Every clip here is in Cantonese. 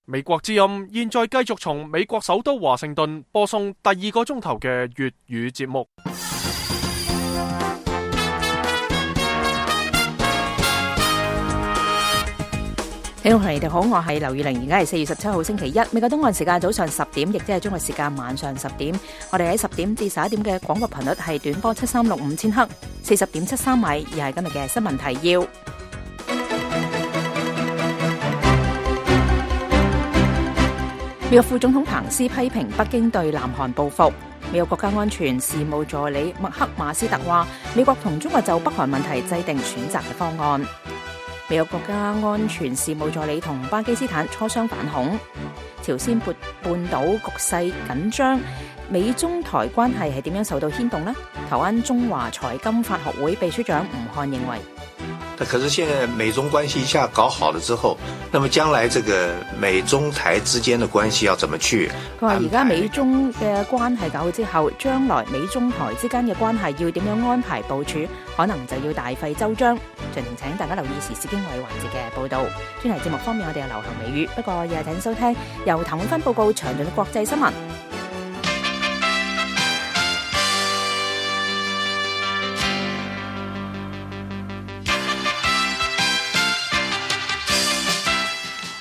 美國之音現在繼續從美國首都華盛頓播送第2個鐘頭嘅粵語節目。聽眾朋友哋好，我係劉宇玲，而家係4月17號星期一，美國東岸時間早上10點，亦即係中國時間晚上10點。我哋喺10點至11點嘅廣播頻率係短波7365千赫，40.73米，而係今日嘅新聞提要。美國副總統彭斯批評北京對南韓報復。美國國家安全事務助理麥克馬斯特話，美國同中國就北韓問題制定選擇嘅方案。美國國家安全事務助理同巴基斯坦磋商反恐。朝鮮半島局勢緊張，美中台關係係點樣受到牽動呢？台灣中華財金法學會秘書長吳漢認為，可是現在美中關係一下搞好了之後，那麼將來這個美中台之間的關係要怎麼去？佢話而家美中嘅關係搞好之後，將來美中台之間嘅關係要點樣安排部署，可能就要大費周章。盡情請大家留意時事經緯環節嘅報道。專題節目方面，我哋有流行美語，不過又係請收聽由譚永芬報告詳盡嘅國際新聞。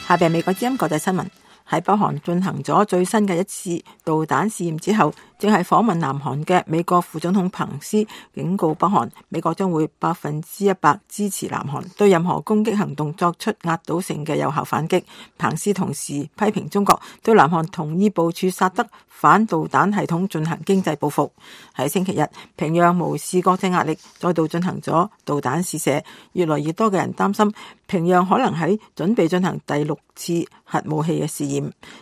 下邊美國之音國際新聞。喺北韓進行咗最新嘅一次導彈試驗之後，正係訪問南韓嘅美國副總統彭斯警告北韓，美國將會100%支持南韓對任何攻擊行動作出壓倒性嘅有效反擊。彭斯同時批評中國對南韓同意部署薩德反導彈系統進行經濟報復。喺星期日，平壤無視國際壓力，再度進行咗導彈試射。越來越多嘅人擔心平壤可能喺準備進行第6次核武器嘅試驗。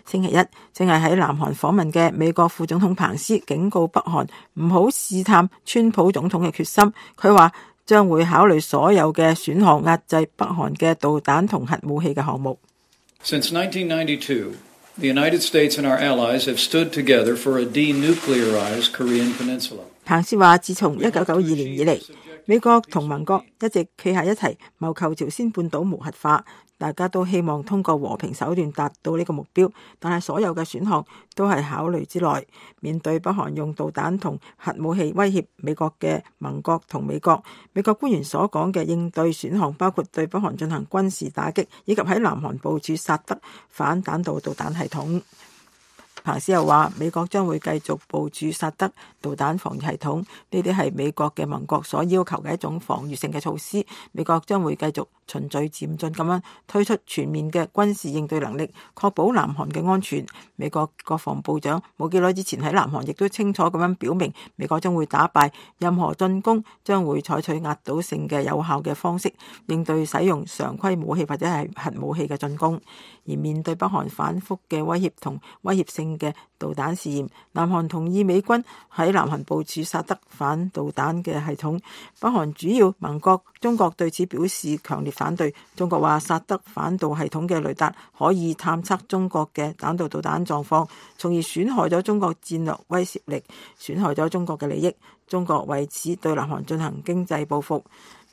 星期一，正係喺南韓訪問嘅美國副總統彭斯警告北韓唔好試探川普總統嘅決心。佢話將會考慮所有嘅選項，壓制北韓嘅導彈同核武器嘅項目。Since 1992, the United States and our allies have stood together for a denuclearized Korean Peninsula. 彭斯話，自從1992年以嚟，美國同盟國一直企喺一齊，謀求朝鮮半島無核化。大家都希望通過和平手段達到呢個目標，但係所有嘅選項都係考慮之內。面對北韓用導彈同核武器威脅美國嘅盟國同美國官員所講嘅應對選項包括對北韓進行軍事打擊，以及喺南韓部署薩德反彈道導彈系統。彭斯又話，美國將會繼續部署薩德導彈防禦系統，呢啲係美國嘅盟國所要求嘅一種防禦性嘅措施。美國將會繼續循序漸進咁樣推出全面嘅軍事應對能力，確保南韓嘅安全。美國國防部長冇幾耐之前喺南韓亦都清楚咁樣表明，美國將會打敗任何進攻，將會採取壓倒性嘅有效嘅方式應對使用常規武器或者係核武器嘅進攻。而面對北韓反覆嘅威脅同威脅性嘅導彈試驗，南韓同意美軍喺南韓部署薩德反導彈嘅系統。北韓主要盟國中國對此表示強烈反對。中國話薩德反導系統嘅雷達可以探測中國嘅彈道導彈狀況，從而損害咗中國戰略威懾力，損害咗中國嘅利益。中國為此對南韓進行經濟報復。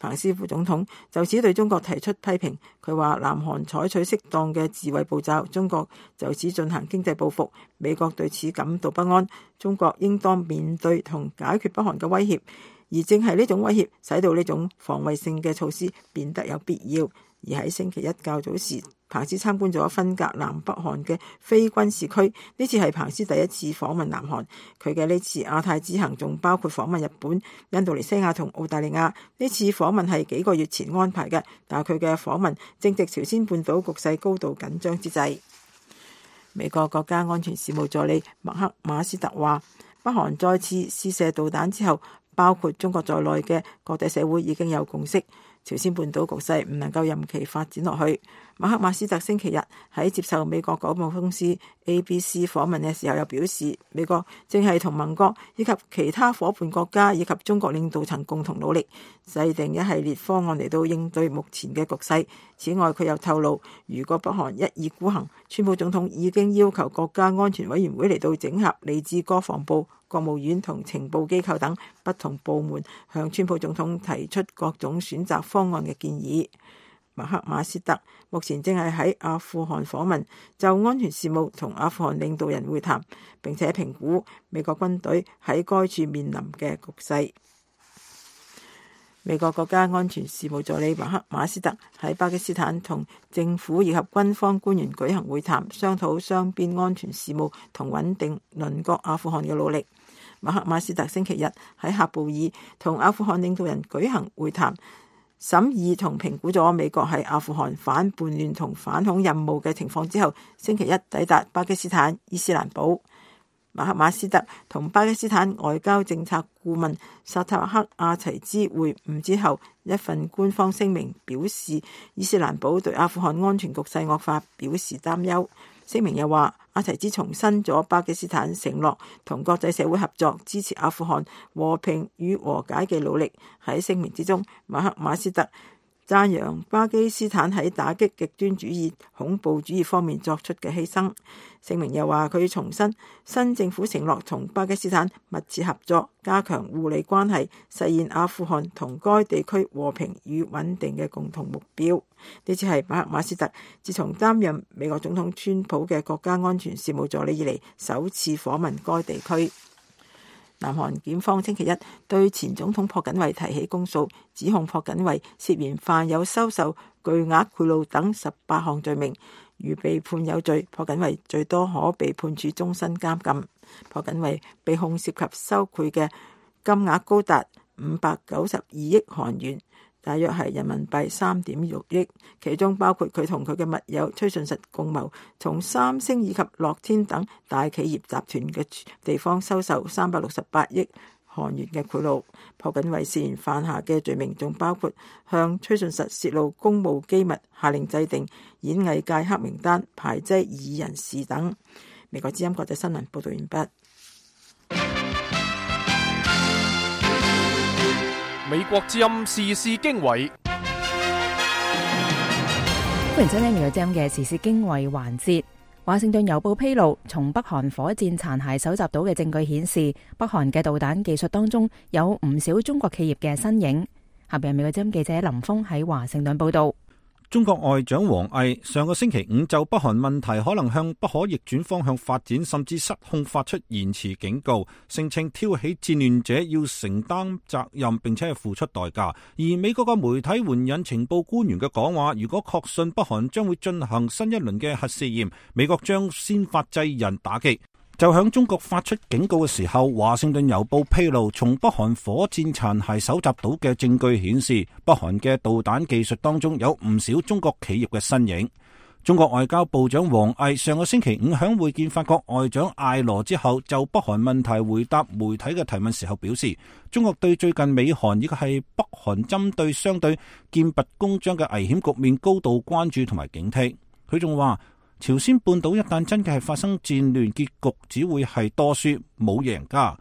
彭斯副總統就此對中國提出批評，佢話南韓採取適當嘅自衛步驟，中國就此進行經濟報復。美國對此感到不安，中國應當面對同解決北韓嘅威脅，而正係呢種威脅使到呢種防衛性嘅措施變得有必要。而喺星期一較早時，彭斯參觀咗分隔南北韓嘅非軍事區，呢次係彭斯第一次訪問南韓。佢嘅呢次亞太之行仲包括訪問日本、印度尼西亞同澳大利亞。呢次訪問係幾個月前安排嘅，但係佢嘅訪問正值朝鮮半島局勢高度緊張之際。美國國家安全事務助理麥克馬斯特話，北韓再次試射導彈之後，包括中國在內嘅國際社會已經有共識，朝鮮半島局勢唔能夠任期發展落去。馬克馬斯特星期日喺接受美國廣播公司 ABC 訪問嘅時候，又表示美國正係同盟國以及其他夥伴國家以及中國領導層共同努力，制定一系列方案嚟到應對目前嘅局勢。此外，佢又透露，如果北韓一意孤行，川普總統已經要求國家安全委員會嚟到整合嚟自國防部、國務院同情報機構等不同部門，向川普總統提出各種選擇方案嘅建議。麥克馬斯特目前正係喺阿富汗訪問，就安全事務同阿富汗領導人會談，並且評估美國軍隊喺該處面臨嘅局勢。美國國家安全事務助理麥克馬斯特喺巴基斯坦同政府以及軍方官員舉行會談，商討雙邊安全事務同穩定鄰國阿富汗嘅努力。麥克馬斯特星期日喺喀布爾同阿富汗領導人舉行會談，審議同評估咗美國喺阿富汗反叛亂同反恐任務嘅情況之後，星期一抵達巴基斯坦伊斯蘭堡。麥克馬斯特同巴基斯坦外交政策顧問薩塔克阿齊茲會晤之後，一份官方聲明表示，伊斯蘭堡對阿富汗安全局勢惡化表示擔憂。聲明又話，阿齊茲重申咗巴基斯坦承諾同國際社會合作，支持阿富汗和平與和解嘅努力。喺聲明之中，麥克馬斯特讚揚巴基斯坦喺打擊極端主義、恐怖主義方面作出嘅犧牲。聲明又話，佢重申新政府承諾同巴基斯坦密切合作，加強互利關係，實現阿富汗同該地區和平與穩定嘅共同目標。呢次係麥克馬斯特自從擔任美國總統川普嘅國家安全事務助理以嚟首次訪問該地區。南韓檢方星期一對前總統朴槿惠提起公訴，指控朴槿惠涉嫌犯有收受巨額賄賂等18項罪名。如被判有罪，朴槿惠最多可被判處終身監禁。朴槿惠被控涉及收賄嘅金額高達592億韓元，大約係人民幣3.6億，其中包括佢同佢嘅密友崔順實共謀，從三星以及樂天等大企業集團嘅地方收受368億韓元嘅賄賂。朴槿惠涉嫌犯下嘅罪名仲包括向崔順實泄露公務機密、下令制定演藝界黑名單、排擠異議人士等。美國之音國際新聞報道完畢。美國之音時事經緯，歡迎收聽美國之音嘅時事經緯環節。華盛頓郵報披露，從北韓火箭殘骸搜集到嘅證據顯示，北韓嘅導彈技術當中有唔少中國企業嘅身影。下邊美國之音記者林峰喺華盛頓報道。中國外長王毅上個星期五就北韓問題可能向不可逆轉方向發展，甚至失控發出言辭警告，聲稱挑起戰亂者要承擔責任並且係付出代價。而美國嘅媒體援引情報官員嘅講話，如果確信北韓將會進行新一輪嘅核試驗，美國將先發制人打擊。就響中國發出警告嘅時候，華盛頓郵報披露，從北韓火箭殘骸搜集到嘅證據顯示，北韓嘅導彈技術當中有唔少中國企業嘅身影。中國外交部長王毅上個星期五響會見法國外長艾羅之後，就北韓問題回答媒體嘅提問時候表示，中國對最近美韓以及係北韓針對相對劍拔弩張嘅危險局面高度關注同埋警惕。佢仲話，朝鮮半島一旦真嘅係發生戰亂，結局只會係多輸冇贏家。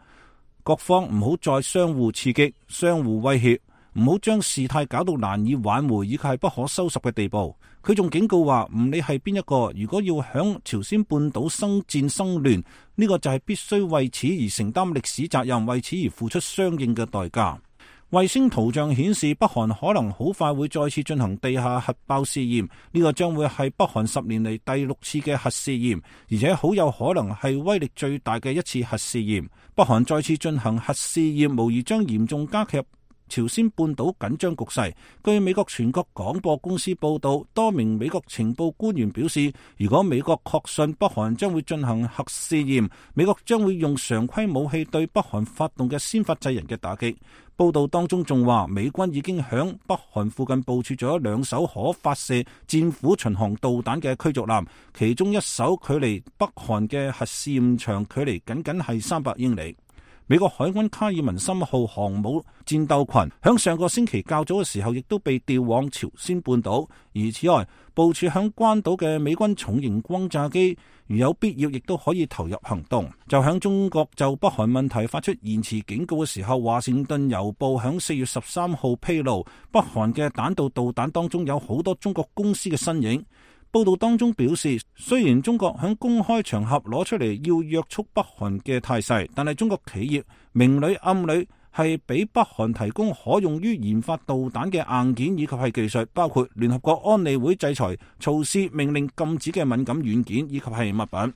各方唔好再相互刺激、相互威脅，唔好將事態搞到難以挽回以及係不可收拾嘅地步。佢仲警告話，唔理係邊一個，如果要響朝鮮半島生戰生亂，呢個就係必須為此而承擔歷史責任，為此而付出相應嘅代價。衛星圖像顯示，北韓可能好快會再次進行地下核爆試驗，呢個將會係北韓10年嚟第6次嘅核試驗，而且好有可能係威力最大嘅一次核試驗。北韓再次進行核試驗，無疑將嚴重加劇朝鮮半島緊張局勢。據美國全國廣播公司報道，多名美國情報官員表示，如果美國確信北韓將會進行核試驗，美國將會用常規武器對北韓發動嘅先發制人嘅打擊。報道當中仲話，美軍已經響北韓附近部署咗2艘可發射戰斧巡航導彈嘅驅逐艦，其中一艘距離北韓嘅核試驗場距離僅僅係300英里。美國海軍卡爾文森號航母戰鬥群響上個星期較早嘅時候，亦都被調往朝鮮半島。而此外，部署響關島嘅美軍重型轟炸機，如有必要，亦都可以投入行動。就響中國就北韓問題發出言辭警告嘅時候，華盛頓郵報響4月13號披露，北韓嘅彈道導彈當中有好多中國公司嘅身影。報道當中表示，雖然中國響公開場合攞出嚟要約束北韓嘅態勢，但係中國企業明裏暗裏係係俾北韓提供可用於研發導彈嘅硬件以及係技術，包括聯合國安理會制裁措施命令禁止嘅敏感軟件以及係物品。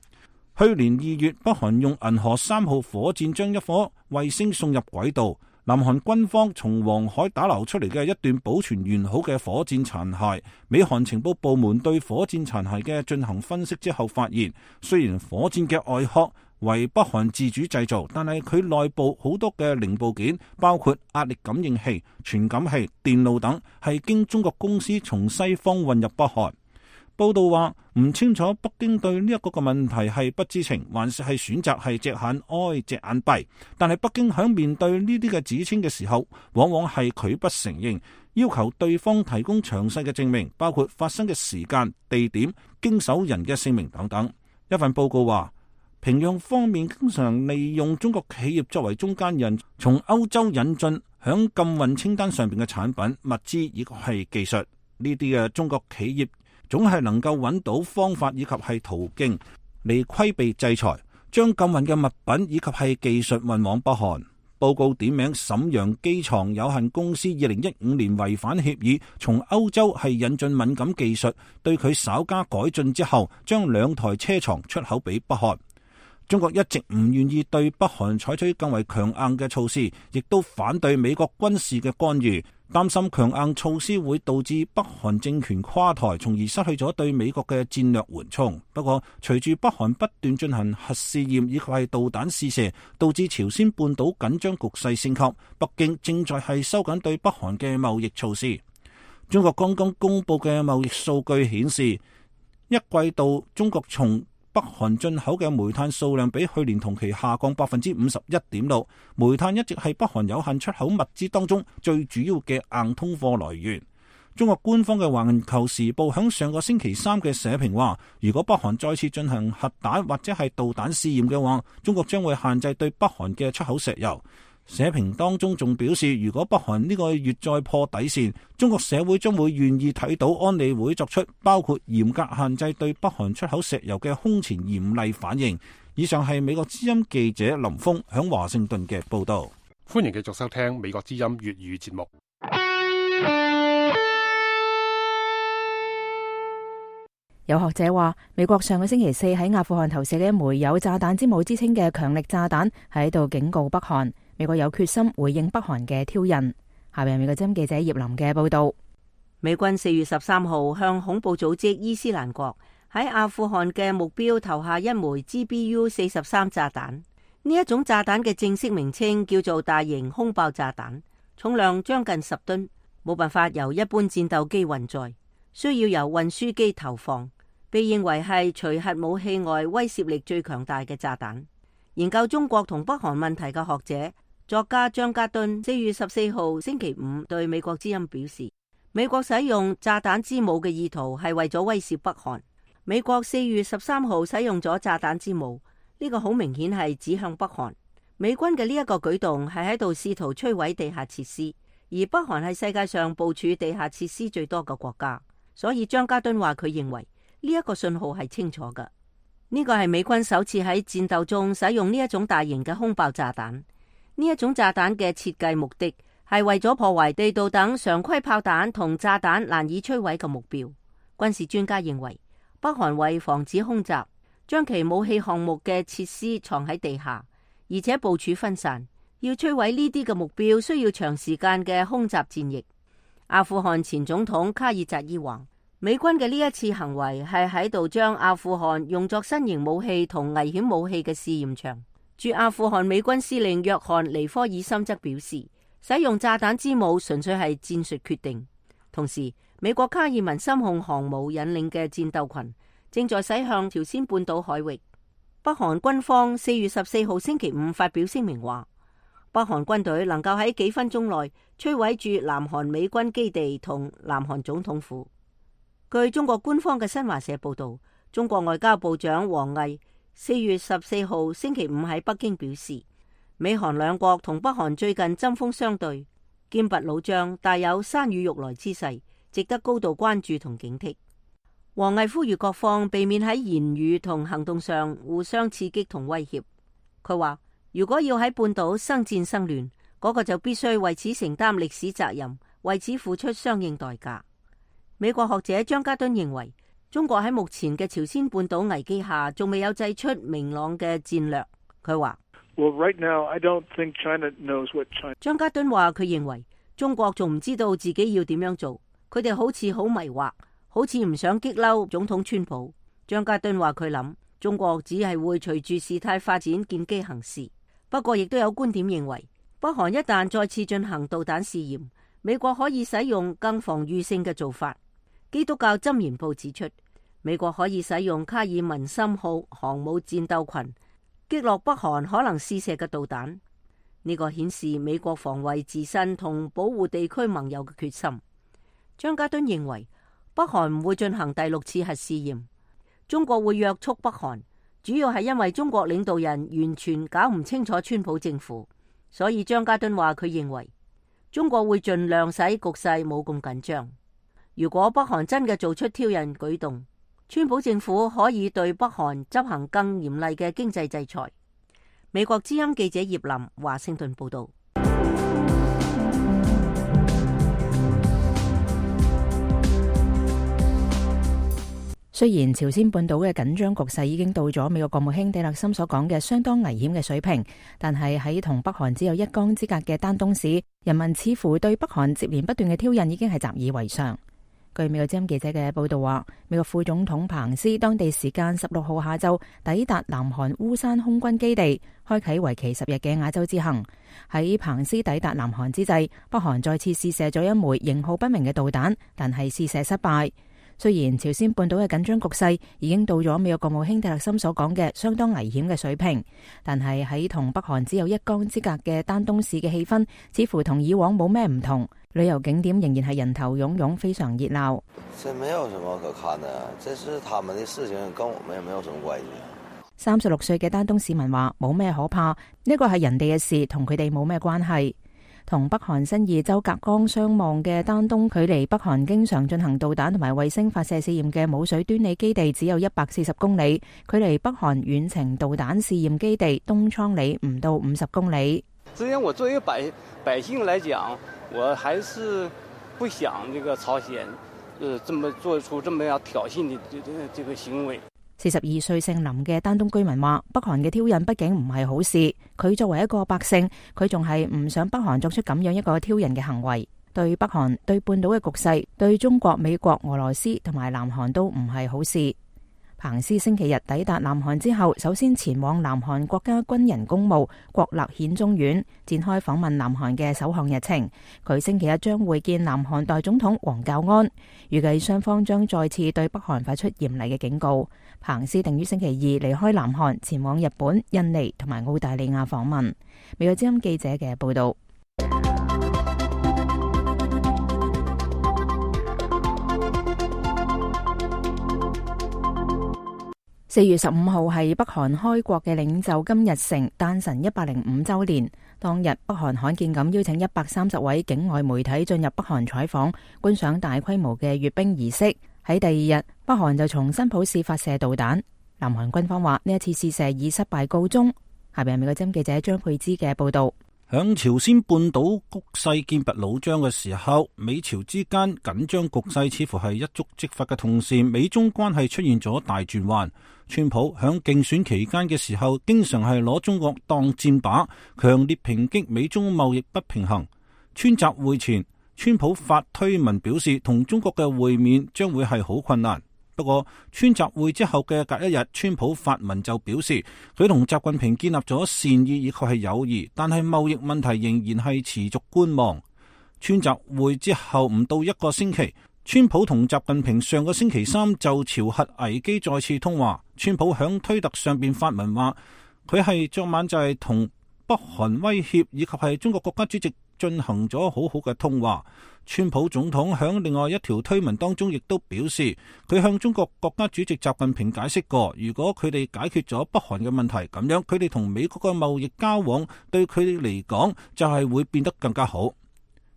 去年2月，北韓用銀河3號火箭將一顆衛星送入軌道。南韓軍方從黃海打撈出嚟嘅一段保存完好嘅火箭殘骸，美韓情報部門對火箭殘骸嘅進行分析之後發現，雖然火箭嘅外殼為北韓自主製造，但係佢內部好多嘅零部件，包括壓力感應器、傳感器、電路等，係經中國公司從西方運入北韓。報道話唔清楚北京對呢一個問題係不知情，還是係選擇係隻眼開隻眼閉。但係北京響面對呢啲嘅指稱嘅時候，往往係拒不承認，要求對方提供詳細嘅證明，包括發生嘅時間、地點、經手人嘅姓名等等。一份報告話，平壤方面經常利用中國企業作為中間人，從歐洲引進響禁運清單上邊嘅產品、物資以及係技術。呢啲嘅中國企業總係能夠揾到方法以及係途徑嚟規避制裁，將禁運嘅物品以及係技術運往北韓。報告點名瀋陽機床有限公司2015年違反協議，從歐洲係引進敏感技術，對佢稍加改進之後，將2台車床出口俾北韓。中國一直唔願意對北韓採取更為強硬嘅措施，亦都反對美國軍事嘅干預，擔心強硬措施會導致北韓政權垮台，從而失去咗對美國嘅戰略緩衝。不過，隨住北韓不斷進行核試驗以及係導彈試射，導致朝鮮半島緊張局勢升級，北京正在係收緊對北韓嘅貿易措施。中國剛剛公布嘅貿易數據顯示，一季度中國從北韓進口嘅煤炭數量比去年同期下降 51.6%， 煤炭一直係北韓有限出口物資當中最主要嘅硬通貨來源。中國官方嘅環球時報響上個星期3嘅社評話，如果北韓再次進行核彈或者係導彈試驗嘅話，中國將會限制對北韓嘅出口石油。社評當中仲表示，如果北韓呢個月再破底線，中國社會將會願意睇到安理會作出包括嚴格限制對北韓出口石油嘅空前嚴厲反應。以上係美國之音記者林峰響華盛頓嘅報道。歡迎繼續收聽美國之音粵語節目。有學者話，美國上個星期4喺阿富汗投射嘅一枚有炸彈之母之稱嘅強力炸彈，喺度警告北韓，美國有決心回應北韓嘅挑釁。下面係美國之音記者葉林嘅報道。美軍4月13號向恐怖組織伊斯蘭國喺阿富汗嘅目標投下一枚 GBU-43 炸彈。呢一種炸彈嘅正式名稱叫做大型空爆炸彈，重量將近10噸，冇辦法由一般戰鬥機運載，需要由運輸機投放。被認為係除核武器外威懾力最強大嘅炸彈。研究中國同北韓問題嘅學者作家張家敦4月14號星期五對美國之音表示，美國使用炸彈之母嘅意圖係為咗威懾北韓。美國4月13號使用咗炸彈之母，呢個好明顯係指向北韓。美軍嘅呢一個舉動係喺度試圖摧毀地下設施，而北韓係世界上部署地下設施最多嘅國家，所以張家敦話佢認為呢一個信號係清楚嘅。呢個係美軍首次喺戰鬥中使用呢一種大型嘅空爆炸彈。呢一種炸彈嘅設計目的係為咗破壞地道等常規炮彈同炸彈難以摧毀嘅目標。軍事專家認為，北韓為防止空襲，將其武器項目嘅設施藏喺地下，而且部署分散，要摧毀呢啲嘅目標需要長時間嘅空襲戰役。阿富汗前總統卡爾扎伊話，美軍嘅呢一次行為係喺度將阿富汗用作新型武器同危險武器嘅試驗場。駐阿富汗美軍司令約翰尼科爾森則表示，使用炸彈之母純粹係戰術決定。同時，美國卡爾文森控航母引領嘅戰鬥群正在駛向朝鮮半島海域。北韓軍方4月14號星期五發表聲明話，北韓軍隊能夠喺幾分鐘內摧毀駐南韓美軍基地同南韓總統府。據中國官方嘅新華社報道，中國外交部長王毅4月14號星期五喺北京表示，美韓兩國同北韓最近針鋒相對，劍拔弩張，大有山雨欲來之勢，值得高度關注同警惕。王毅呼籲各方避免喺言語同行動上互相刺激同威脅。佢話，如果要喺半島生戰生亂，嗰個就必須為此承擔歷史責任，為此付出相應代價。美國學者張家敦認為，中國喺目前嘅朝鮮半島危機下，仲未有祭出明朗嘅戰略。佢話張家敦話佢認為中國仲唔知道自己要點樣做，佢哋好似好迷惑，好似唔想激嬲總統川普。張家敦話佢諗中國只係會隨住事態發展見機行事。不過亦都有觀點認為，北韓一旦再次進行導彈試驗，美國可以使用更防禦性嘅做法。基督教箴言報指出，美國可以使用卡爾文森號航母戰鬥群擊落北韓可能試射嘅導彈。呢個顯示美國防衛自身同保護地區盟友嘅決心。張家敦認為，北韓唔會進行第6次核試驗，中國會約束北韓，主要係因為中國領導人完全搞唔清楚川普政府，所以張家敦話佢認為中國會盡量使局勢冇咁緊張。如果北韓真嘅做出挑釁舉動，川普政府可以對北韓執行更嚴厲嘅經濟制裁。美國之音記者葉林華盛頓報道。雖然朝鮮半島嘅緊張局勢已經到咗美國國務卿蒂勒森所講嘅相當危險嘅水平，但係喺同北韓只有一江之隔嘅丹東市，人民似乎對北韓接連不斷嘅挑釁已經係習以為常。據美國之音記者嘅報道話，美國副總統彭斯當地時間16號下晝抵達南韓烏山空軍基地，開啟為期10日嘅亞洲之行。喺彭斯抵達南韓之際，北韓再次試射咗一枚型號不明嘅導彈，但係試射失敗。雖然朝鮮半島嘅緊張局勢已經到咗美國國務卿蒂勒森所講嘅相當危險嘅水平，但係喺同北韓只有一江之隔嘅丹東市嘅氣氛似乎同以往冇咩唔同，旅遊景點仍然係人頭湧湧，非常熱鬧。這沒有什麼可看的，這是他們的事情，跟我們也沒有什麼關係。36歲嘅丹東市民話冇咩可怕，呢個係人哋嘅事，同佢哋冇咩關係。同北韓新義州隔江相望嘅丹東，距離北韓經常進行導彈同埋衛星發射試驗嘅舞水端里基地只有140公里，距離北韓遠程導彈試驗基地東倉里唔到50公里。之前我作為百姓來講，我還是不想這個朝鮮，這麼做出這麼樣挑釁的這個行為。42歲姓林嘅丹東居民話，北韓嘅挑釁畢竟唔係好事，佢作為一個百姓，佢仲係唔想北韓作出咁樣一個挑釁嘅行為，對北韓、對半島嘅局勢、對中國、美國、俄羅斯同埋南韓都唔係好事。彭斯星期日抵達南韓之後，首先前往南韓國家軍人公墓國立顯忠院，展開訪問南韓嘅首項日程。佢星期日將會見南韓代總統黃教安，預計雙方將再次對北韓發出嚴厲嘅警告。彭斯定於星期二離開南韓，前往日本、印尼同埋澳大利亞訪問。美國之音記者嘅報道。4月15號係北韓開國嘅領袖金日成誕辰105週年。當日，北韓罕見咁邀請130位境外媒體進入北韓採訪，觀賞大規模嘅閱兵儀式。喺第二日，北韓就從新浦市發射導彈。南韓軍方話呢一次試射以失敗告終。下邊係美國之音記者張佩芝嘅報道。響朝鮮半島局勢劍拔弩張嘅時候，美朝之間緊張局勢似乎係一觸即發嘅同時，美中關係出現咗大轉彎。川普響競選期間嘅時候，經常係攞中國當箭靶，強烈抨擊美中貿易不平衡。川習會前，川普發推文表示，同中國嘅會面將會係好困難。不過，川習會之後嘅隔一日，川普發文就表示，佢同習近平建立咗善意以及係友誼，但係貿易問題仍然係持續觀望。川習會之後唔到一個星期，川普同習近平上個星期三就朝核危機再次通話。川普響推特上邊發文話，佢係昨晚就係同北韓威脅以及係中國國家主席進行咗好好嘅通話。川普總統響另外一條推文當中亦都表示，佢向中國國家主席習近平解釋過，如果佢哋解決咗北韓嘅問題，咁樣佢哋同美國嘅貿易交往對佢哋嚟講就係會變得更加好。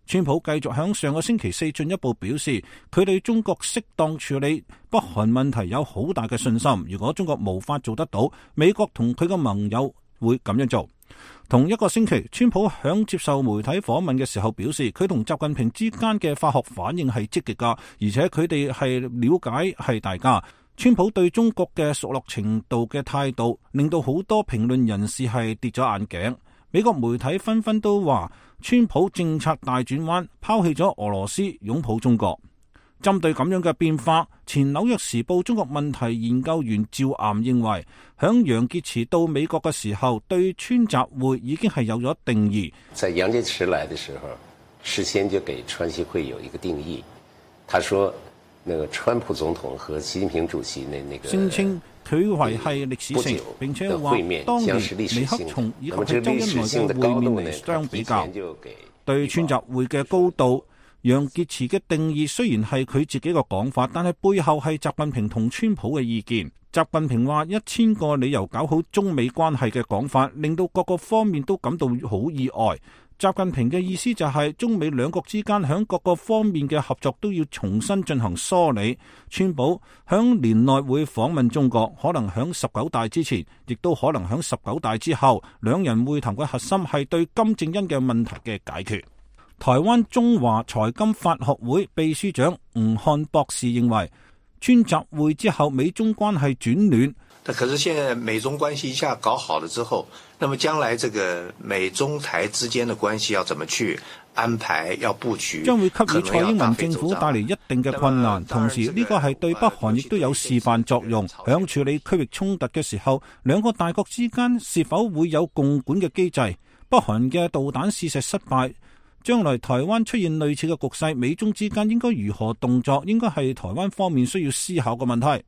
川普繼續響上個星期四進一步表示，佢對中國適當處理北韓問題有好大嘅信心。如果中國無法做得到，美國同佢嘅盟友會咁樣做。同一個星期，川普響接受媒體訪問嘅時候表示，佢同習近平之間嘅化學反應係積極㗎，而且佢哋係了解係大家。川普對中國嘅熟絡程度嘅態度，令到好多評論人士係跌咗眼鏡。美國媒體紛紛都話，川普政策大轉彎，拋棄咗俄羅斯，擁抱中國。針對咁樣嘅變化，前紐約時報中國問題研究員趙岩認為，響楊潔篪到美國嘅時候，對川習會已經係有咗定義。在楊潔篪來的時候，事先就給川習會有一個定義。他說，那個川普總統和習近平主席那個聲稱佢為係歷史性，並且話當年尼克松以及係周恩來嘅會面嚟相比較，對川習會嘅高度。楊潔篪嘅定義雖然係佢自己嘅講法，但係背後係習近平同川普嘅意見。習近平話1000個理由搞好中美關係嘅講法，令到各個方面都感到好意外。習近平嘅意思就係中美兩國之間響各個方面嘅合作都要重新進行梳理。川普響年內會訪問中國，可能響19大之前，亦都可能響19大之後。兩人會談嘅核心係對金正恩嘅問題嘅解決。台灣中華財金法學會秘書長吳漢博士認為，川習會之後美中關係轉暖。可是現在美中關係一下搞好了之後，那麼將來這個美中台之間的關係要怎麼去安排，要布局，將會給予蔡英文政府帶嚟一定嘅困難。同時呢個係對北韓亦都有示範作用。響處理區域衝突嘅時候，兩個大國之間是否會有共管嘅機制？北韓嘅導彈試射失敗，將來台灣出現類似嘅局勢，美中之間應該如何動作，應該係台灣方面需要思考嘅問題。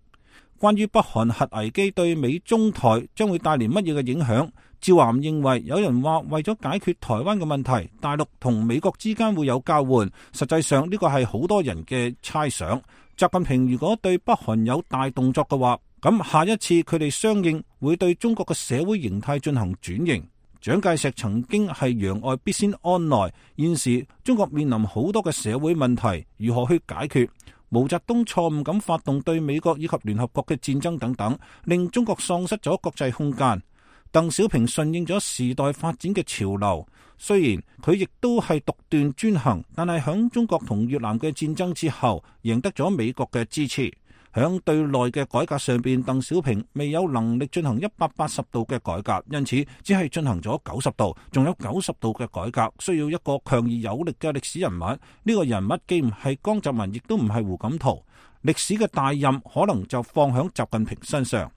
關於北韓核危機對美中台將會帶嚟乜嘢嘅影響，趙岩認為有人話為咗解決台灣嘅問題，大陸同美國之間會有交換，實際上呢個係好多人嘅猜想。習近平如果對北韓有大動作嘅話，咁下一次佢哋相應會對中國嘅社會形態進行轉型。蔣介石曾經係攘外必先安內，現時中國面臨好多嘅社會問題，如何去解決？毛澤東錯誤咁發動對美國以及聯合國嘅戰爭等等，令中國喪失咗國際空間。鄧小平順應咗時代發展嘅潮流，雖然佢亦都係獨斷專行，但係響中國同越南嘅戰爭之後，贏得咗美國嘅支持。響對內嘅改革上邊，鄧小平未有能力進行180度嘅改革，因此只係進行咗90度，仲有90度嘅改革，需要一個強而有力嘅歷史人物。呢個人物既唔係江澤民，亦都唔係胡錦濤，歷史嘅大任可能就放響習近平身上。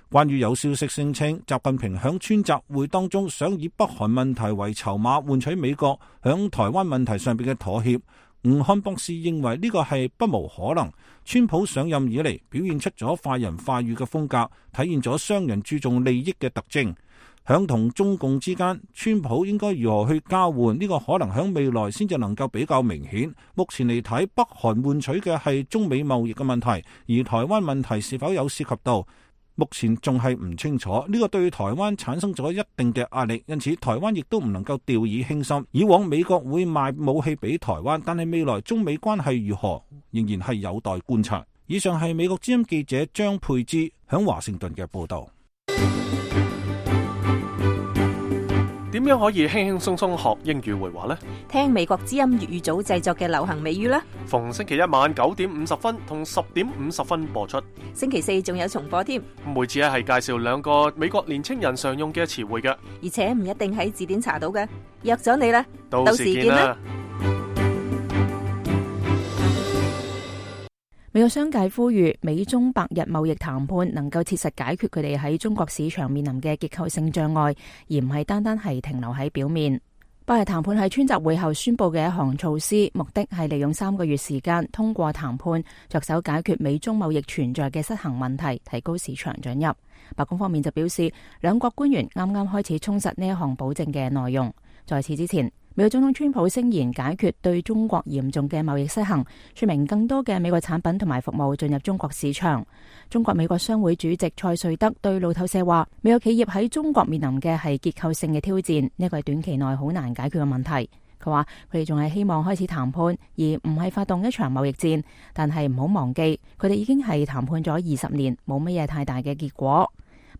關於有消息聲稱習近平響川習會當中想以北韓問題為籌碼換取美國響台灣問題上邊嘅妥協，吳漢博士認為呢個係不無可能。川普上任以嚟表現出咗快人快語嘅風格，體現咗商人注重利益嘅特徵。響同中共之間，川普應該如何去交換，呢個可能響未來先至能夠比較明顯。目前嚟睇，北韓換取嘅係中美貿易嘅問題，而台灣問題是否有涉及到，目前仲係唔清楚。呢個對台灣產生咗一定嘅壓力，因此台灣亦都唔能夠掉以輕心。以往美國會賣武器俾台灣，但係未來中美關係如何，仍然係有待觀察。以上係美國之音記者張佩芝響華盛頓嘅報道。點樣可以輕輕鬆鬆學英語會話呢？聽美國之音粵語組製作嘅流行美語啦。逢星期一晚9點50分同10點50分播出。星期四仲有重播添。每次係介紹2個美國年青人常用嘅詞彙嘅，而且唔一定喺字典查到嘅。約咗你啦，到時見啦。美國商界呼籲美中百日貿易談判能夠切實解決佢哋喺中國市場面臨嘅結構性障礙，而唔係單單係停留喺表面。百日談判係川習會後宣布嘅一項措施，目的係利用3個月時間，通過談判着手解決美中貿易存在嘅失衡問題，提高市場准入。白宮方面就表示，兩國官員啱啱開始充實呢一項保證嘅內容。在此之前，美國總統川普聲言解決對中國嚴重嘅貿易失衡，說明更多嘅美國產品同埋服務進入中國市場。中國美國商會主席蔡瑞德對路透社話，美國企業喺中國面臨嘅係結構性嘅挑戰，呢個係短期內好難解決嘅問題。佢話佢哋仲係希望開始談判，而唔係發動一場貿易戰，但係唔好忘記，佢哋已經係談判咗20年，冇乜嘢太大嘅結果。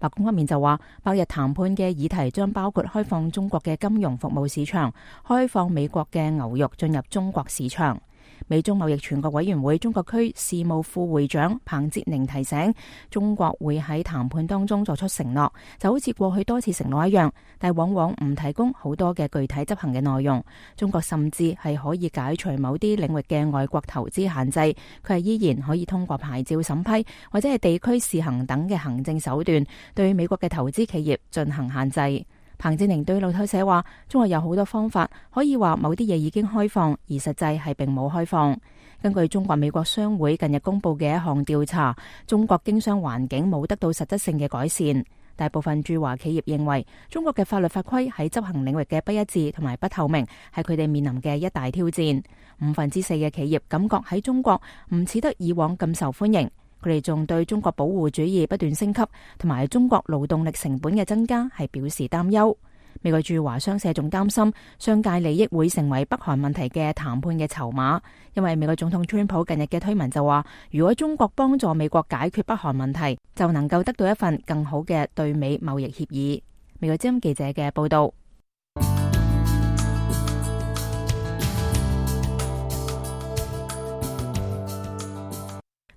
白宮方面就話，百日談判嘅議題將包括開放中國嘅金融服務市場，開放美國嘅牛肉進入中國市場。美中貿易全國委員會中國區事務副會長彭哲寧提醒，中國會喺談判當中作出承諾，就好似過去多次承諾一樣，但往往唔提供好多嘅具體執行嘅內容。中國甚至係可以解除某啲領域嘅外國投資限制，佢係依然可以通過牌照審批或者係地區試行等嘅行政手段，對美國嘅投資企業進行限制。彭哲寧對路透社話，中國有好多方法可以話某啲嘢已經開放，而實際係並冇開放。根據中國美國商會近日公布嘅一項調查，中國經商環境冇得到實質性嘅改善。大部分駐華企業認為，中國嘅法律法規喺執行領域嘅不一致同埋不透明，係佢哋面臨嘅一大挑戰。4%嘅企業感覺喺中國唔似得以往咁受歡迎。佢哋仲對中國保護主義不斷升級同埋中國勞動力成本嘅增加係表示擔憂。美國駐華商社仲擔心商界利益會成為北韓問題嘅談判嘅籌碼，因為美國總統川普近日嘅推文就話，如果中國幫助美國解決北韓問題，就能夠得到一份更好嘅對美貿易協議。美國之音記者嘅報道。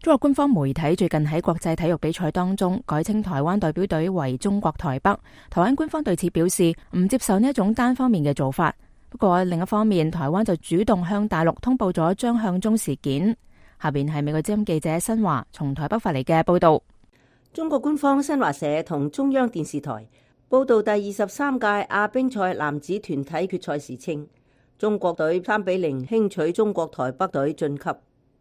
中國官方媒體最近喺國際體育比賽當中改稱台灣代表隊為中國台北，台灣官方對此表示唔接受呢一種單方面嘅做法。不過另一方面，台灣就主動向大陸通報咗張向忠事件。下邊係美國之音記者新華從台北發嚟嘅報道。中國官方新華社同中央電視台報道第23屆亞乒賽男子團體決賽時稱，中國隊3-0輕取中國台北隊晉級。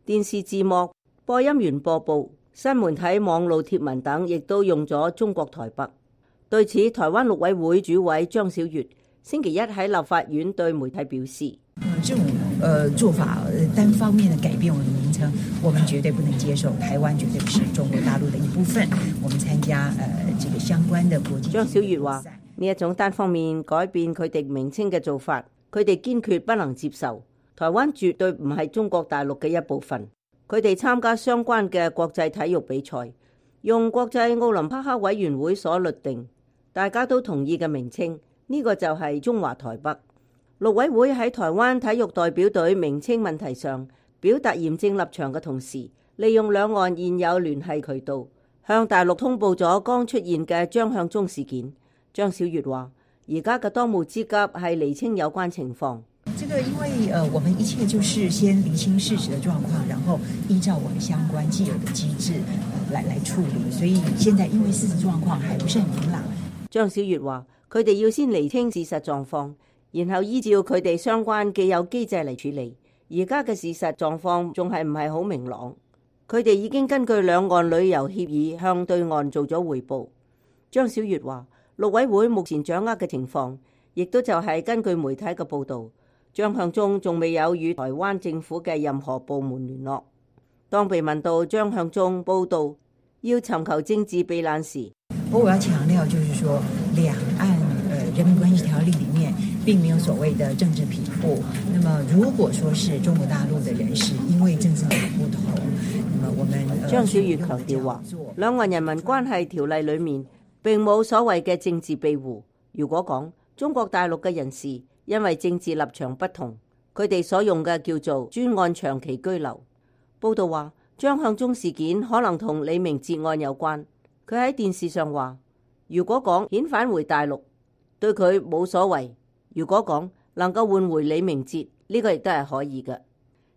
電視字幕、播音員播報、新媒體網路貼文等亦都用咗中國台北。對此，台灣陸委會主委張曉月星期一喺立法院對媒體表示：這種做法單方面的改變我們的名稱，我們絕對不能接受。台灣絕對不是中國大陸的一部分。我們參加這個相關的國際。張曉月話：呢一種單方面改變佢哋名稱嘅做法，佢哋堅決不能接受。台灣絕對唔係中國大陸嘅一部分。佢哋參加相關嘅國際體育比賽，用國際奧林匹克委員會所律定，大家都同意嘅名稱，呢個就係中華台北。陸委會喺台灣體育代表隊名稱問題上表達嚴正立場嘅同時，利用兩岸現有聯繫渠道，向大陸通報咗剛出現嘅張向忠事件。張曉月話：而家嘅當務之急係釐清有關情況。這個因為我們一切就是先釐清事實的狀況，然後依照我們相關既有的機制來處理。所以現在因為事實狀況還不是很明朗。張曉月話：佢哋要先釐清事實狀況，然後依照佢哋相關既有機制嚟處理。而家嘅事實狀況仲係唔係好明朗？佢哋已經根據兩岸旅遊協議向對岸做咗彙報。張曉月話：陸委會目前掌握嘅情況，亦都就係根據媒體嘅報導。張向忠仲未有與台灣政府嘅任何部門聯絡。當被問到張向忠報道要尋求政治避難時，我要強調就是說，兩岸人民關係條例裏面並沒有所謂的政治庇護。那麼如果說是中國大陸的人士因為政治不同，那麼我們張曉月強調話，兩岸人民關係條例裏面並冇所謂嘅政治庇護。如果講中國大陸嘅人士因為政治立場不同，佢哋所用嘅叫做專案長期居留。報道話，張向忠事件可能同李明哲案有關。佢喺電視上話，如果講遣返回大陸，對佢冇所謂；如果講能夠換回李明哲，呢個亦都係可以嘅。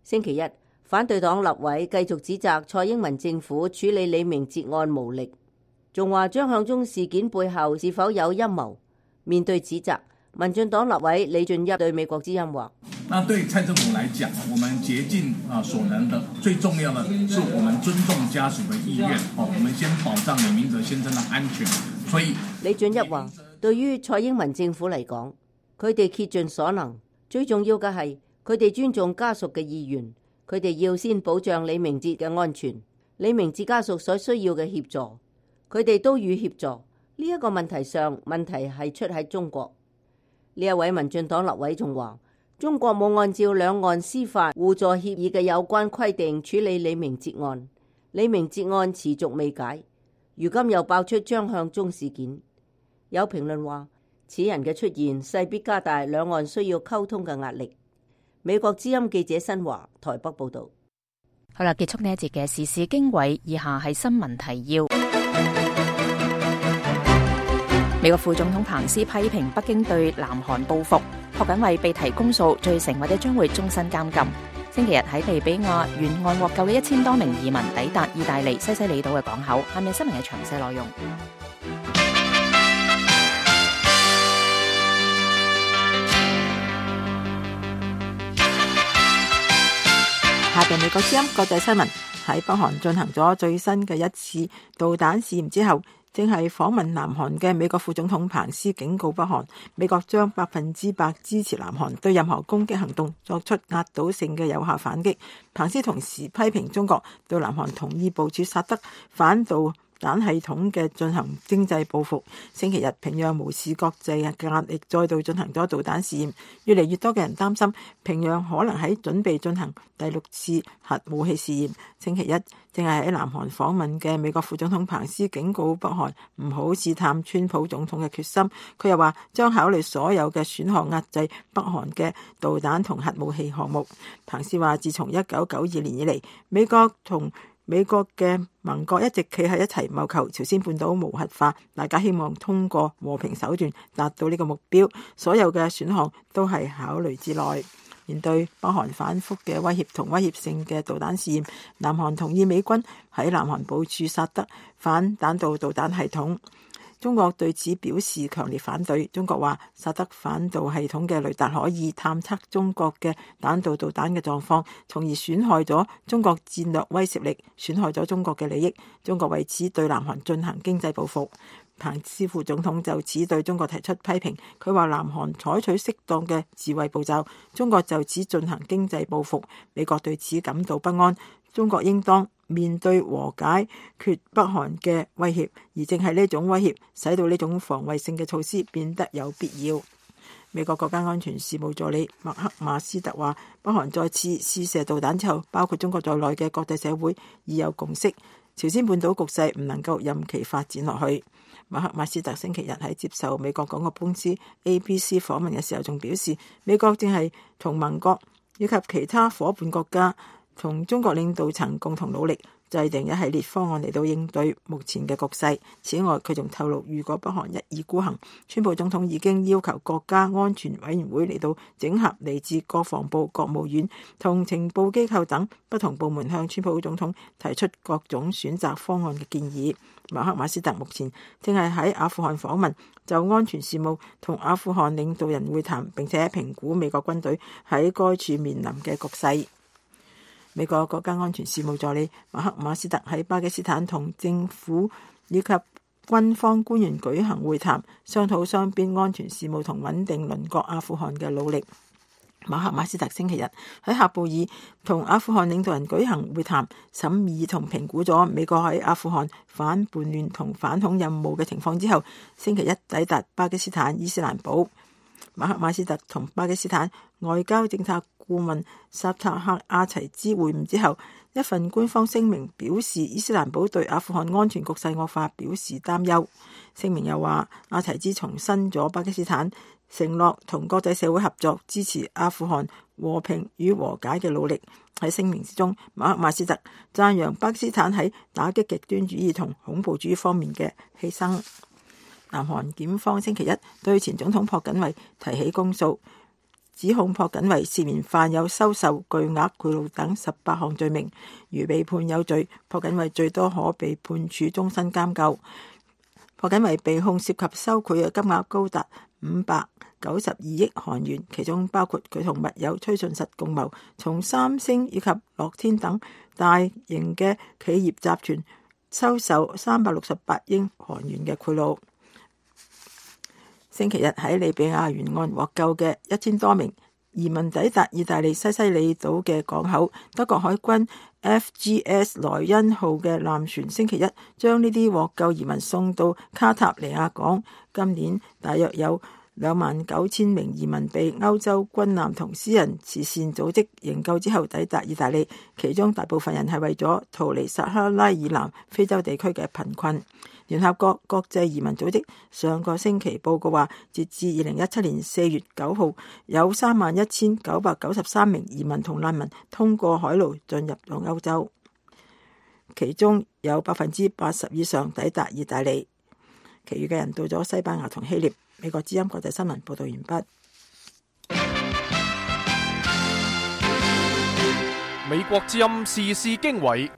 星期一，反對黨立委繼續指責蔡英文政府處理李明哲案無力，仲話張向忠事件背後是否有陰謀。面對指責，民進黨立委李俊一對美國之音話：那對蔡政府來講，我們竭盡所能的，最重要的是我們尊重家屬的意願。我們先保障李明哲先生的安全。所以李俊一話，對於蔡英文政府嚟講，佢哋竭盡所能，最重要嘅係佢哋尊重家屬嘅意願，佢哋要先保障李明哲嘅安全，李明哲家屬所需要嘅協助，佢哋都予協助。呢一個問題上，問題係出喺中國。呢一位民進黨立委仲話，中國冇按照兩岸司法互助協議嘅有關規定處理李明哲案，李明哲案持續未解。如今又爆出張向忠事件。有評論話，此人嘅出現勢必加大兩岸需要溝通嘅壓力。美國之音記者新華台北報道。好啦，結束呢一節嘅時事經緯，以下係新聞提要。美國副總統彭斯批評北京對南韓報復，朴槿惠被提公訴罪成或者將會終身監禁。星期日喺利比亞沿岸獲救嘅1000多名移民抵達意大利西西里島嘅港口。下面新聞嘅詳細內容。下邊美國之音國際新聞。喺北韓進行咗最新嘅一次導彈試驗之後，正係訪問南韓嘅美國副總統彭斯警告北韓，美國將100%支持南韓對任何攻擊行動作出壓倒性嘅有效反擊。彭斯同時批評中國對南韓同意部署薩德反導彈系統嘅進行經濟報復。星期日，平壤無視國際嘅壓力，再度進行咗導彈試驗。越嚟越多嘅人擔心平壤可能喺準備進行第6次核武器試驗。星期一，正係喺南韓訪問嘅美國副總統彭斯警告北韓唔好試探川普總統嘅決心。佢又話將考慮所有嘅選項壓制北韓嘅導彈同核武器項目。彭斯話，自從1992年以嚟，美國嘅盟國一直企喺一齊謀求朝鮮半島無核化，大家希望通過和平手段達到呢個目標，所有嘅選項都係考慮之內。面對北韓反覆嘅威脅同威脅性嘅導彈試驗，南韓同意美軍喺南韓部署薩德反彈道導彈系統。中國對此表示強烈反對。中國話，薩德反導系統嘅雷達可以探測中國嘅彈道導彈嘅狀況，從而損害咗中國戰略威懾力，損害咗中國嘅利益。中國為此對南韓進行經濟報復。彭斯副總統就此對中國提出批評，佢話南韓採取適當嘅自衛步驟，中國就此進行經濟報復。美國對此感到不安，中國應當面對和解決北韓嘅威脅，而正係呢種威脅使到呢種防衛性嘅措施變得有必要。美國國家安全事務助理麥克馬斯特話，北韓再次試射導彈之後，包括中國在內嘅國際社會已有共識，朝鮮半島局勢唔能夠任其發展落去。麥克馬斯特星期日喺接受美國廣播公司 ABC 訪問嘅時候，仲表示，美國正係同盟國以及其他夥伴國家同中國領導層共同努力，制定一系列方案嚟到應對目前嘅局勢。此外，佢仲透露，如果北韓一意孤行，川普總統已經要求國家安全委員會嚟到整合嚟自國防部、國務院同情報機構等不同部門，向川普總統提出各種選擇方案嘅建議。馬克馬斯特目前正係喺阿富汗訪問，就安全事務同阿富汗領導人會談，並且評估美國軍隊喺該處面臨嘅局勢。美國國家安全事務助理馬克馬斯特喺巴基斯坦同政府以及軍方官員舉行會談，商討雙邊安全事務同穩定鄰國阿富汗嘅努力。馬克馬斯特星期日喺喀布爾同阿富汗領導人舉行會談，審議同評估咗美國喺阿富汗反叛亂同反恐任務嘅情況之後，星期一抵達巴基斯坦伊斯蘭堡。馬克馬斯特同巴基斯坦外交政策顧問薩塔克阿齊茲會晤之後，一份官方聲明表示，伊斯蘭堡對阿富汗安全局勢惡化表示擔憂。聲明又話，阿齊茲重申咗巴基斯坦承諾同國際社會合作，支持阿富汗和平與和解嘅努力。喺聲明之中，馬克馬斯特讚揚巴基斯坦喺打擊極端主義同恐怖主義方面嘅犧牲。南韓檢方星期一對前總統朴槿惠提起公訴，指控朴槿惠涉嫌犯有收受巨額賄賂等18項罪名。如被判有罪，朴槿惠最多可被判處終身監禁。朴槿惠被控涉及收賄嘅金額高達592億韓元，其中包括佢同密友崔順實共謀從三星以及樂天等大型嘅企業集團收受368億韓元嘅賄賂。星期日喺利比亞沿岸獲救嘅1000多名移民抵達意大利西西里島嘅港口，德國海軍 FGS 萊茵號嘅艦船星期一將呢啲獲救移民送到卡塔尼亞港。今年大約有29000名移民被歐洲軍艦同私人慈善組織營救之後抵達意大利，其中大部分人係為咗逃離撒哈拉以南非洲地區嘅貧困。聯合國國際移民組織上個星期報告話，截至2017年4月9號，有31,993名移民同難民通過海路進入咗歐洲，其中有80%以上抵達意大利，其餘嘅人到咗西班牙同希臘。美國之音國際新聞報道完畢。美國之音時事經緯，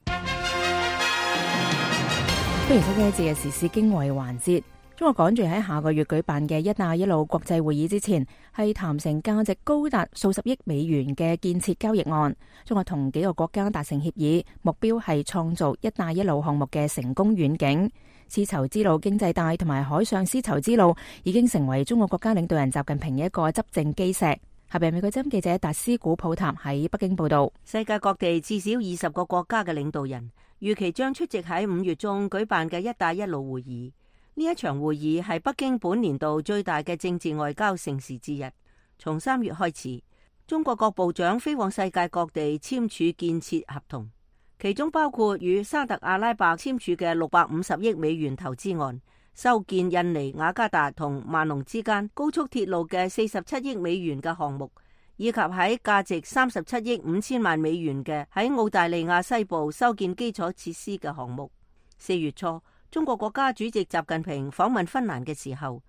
歡迎收聽呢一節嘅時事經緯環節。中國趕住喺下個月舉辦嘅一帶一路國際會議之前，係談成價值高達數十億美元嘅建設交易案。中國同幾個國家達成協議，目標係創造一帶一路項目嘅成功遠景。絲綢之路經濟帶同埋海上絲綢之路已經成為中國國家領導人習近平嘅一個執政基石。下邊美國之音記者達斯古普塔喺北京報道。世界各地至少20個國家嘅領導人預期將出席喺5月中舉辦嘅一帶一路會議。呢一場會議係北京本年度最大嘅政治外交盛事之一。從3月開始，中國各部長飛往世界各地簽署建設合同，其中包括與沙特阿拉伯簽署嘅650億美元投資案，修建印尼雅加達同萬隆之間高速鐵路嘅47億美元嘅項目，以及喺價值37億5千萬美元嘅喺澳大利亞西部修建基礎設施嘅項目。4月初，中國國家主席習近平訪問芬蘭嘅時候，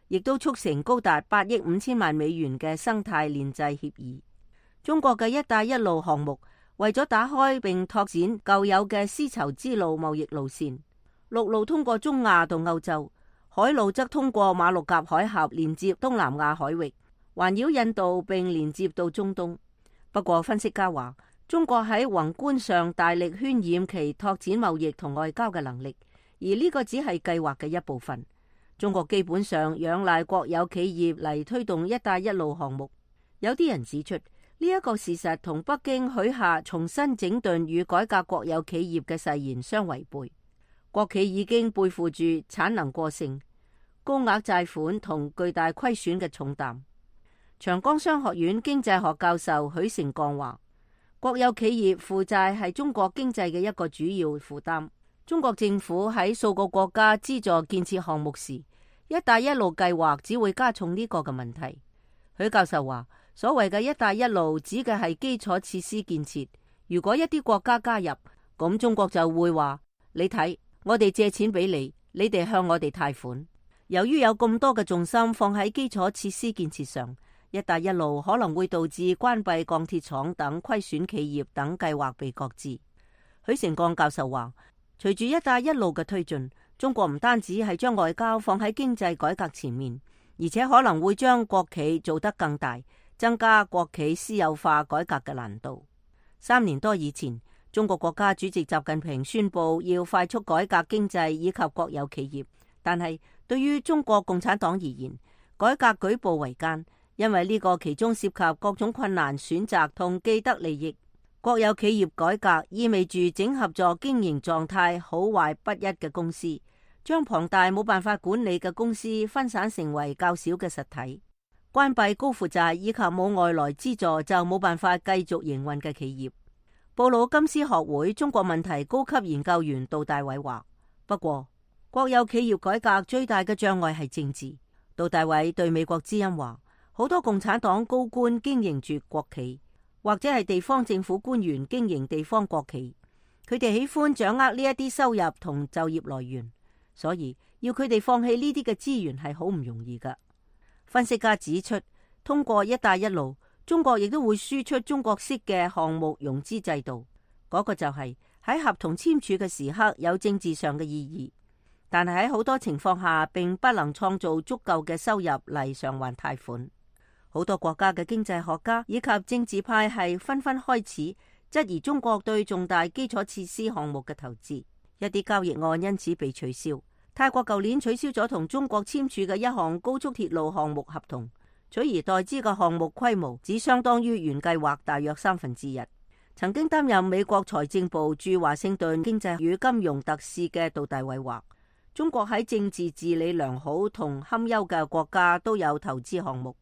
亦都促成高達8億5千萬美元嘅生態鏈制協議。中國嘅一帶一路項目為咗打開並拓展舊有嘅絲綢之路貿易路線，陸路通過中亞到歐洲，海路則通過馬六甲海峽連接東南亞海域，環繞印度並連接到中東。不過分析家話，中國喺宏觀上大力渲染其拓展貿易同外交嘅能力，而呢個只係計劃嘅一部分。中國基本上仰賴國有企業嚟推動一帶一路項目。有啲人指出，呢一個事實同北京許下重新整頓與改革國有企業嘅誓言相違背。國企已經背負住產能過剩、高額債款同巨大虧損嘅重擔。長江商學院經濟學教授許成鋼話，國有企業負債係中國經濟嘅一個主要負擔。中國政府喺數個國家資助建設項目時，一帶一路計劃只會加重呢個嘅問題。許教授話，所謂嘅一帶一路指嘅係基礎設施建設。如果一啲國家加入，咁中國就會話，你睇，我哋借錢俾你，你哋向我哋貸款。由於有咁多嘅重心放喺基礎設施建設上，一帶一路可能會導致關閉鋼鐵廠等虧損企業等計劃被擱置。許成鋼教授話，隨住一帶一路嘅推進，中國唔單止係將外交放喺經濟改革前面，而且可能會將國企做得更大，增加國企私有化改革嘅難度。3年多以前，中國國家主席習近平宣布要快速改革經濟以及國有企業，但係對於中國共產黨而言，改革舉步維艱，因為呢個其中涉及各種困難選擇同既得利益。國有企業改革意味住整合咗經營狀態好壞不一嘅公司，將龐大冇辦法管理嘅公司分散成為較小嘅實體，關閉高負債以及冇外來資助就冇辦法繼續營運嘅企業。布魯金斯學會中國問題高級研究員杜大偉話，不過國有企業改革最大嘅障礙係政治。杜大偉對美國之音話，好多共產黨高官經營住國企，或者係地方政府官員經營地方國企，佢哋喜歡掌握呢一啲收入同就業來源，所以要佢哋放棄呢啲嘅資源係好唔容易噶。分析家指出，通過一帶一路，中國亦都會輸出中國式嘅項目融資制度，嗰個就係喺合同簽署嘅時刻有政治上嘅意義，但係喺好多情況下並不能創造足夠嘅收入嚟償還貸款。好多國家嘅經濟學家以及政治派係紛紛開始質疑中國對重大基礎設施項目嘅投資，一啲交易案因此被取消。泰國舊年取消咗同中國簽署嘅一項高速鐵路項目合同，取而代之嘅項目規模只相當於原計劃大約1/3。曾經擔任美國財政部駐華盛頓經濟與金融特使嘅杜大偉話，中國喺政治治理良好同堪憂嘅國家都有投資項目。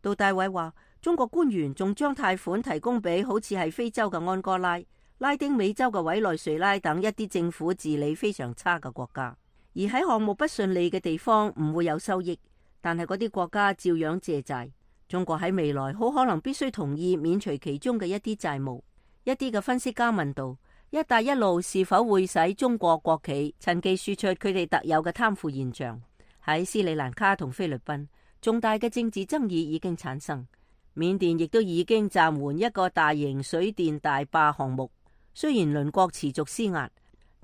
杜大偉話，中國官員仲將貸款提供俾好似係非洲嘅安哥拉、拉丁美洲嘅委內瑞拉等一啲政府治理非常差嘅國家。而喺項目不順利嘅地方唔會有收益，但係嗰啲國家照樣借債。中國喺未來好可能必須同意免除其中嘅一啲債務。一啲嘅分析家問道：一帶一路是否會使中國國企趁機輸出佢哋特有嘅貪腐現象？喺斯里蘭卡同菲律賓，重大嘅政治爭議已經產生。緬甸亦都已經暫緩一個大型水電大壩項目。雖然鄰國持續施壓，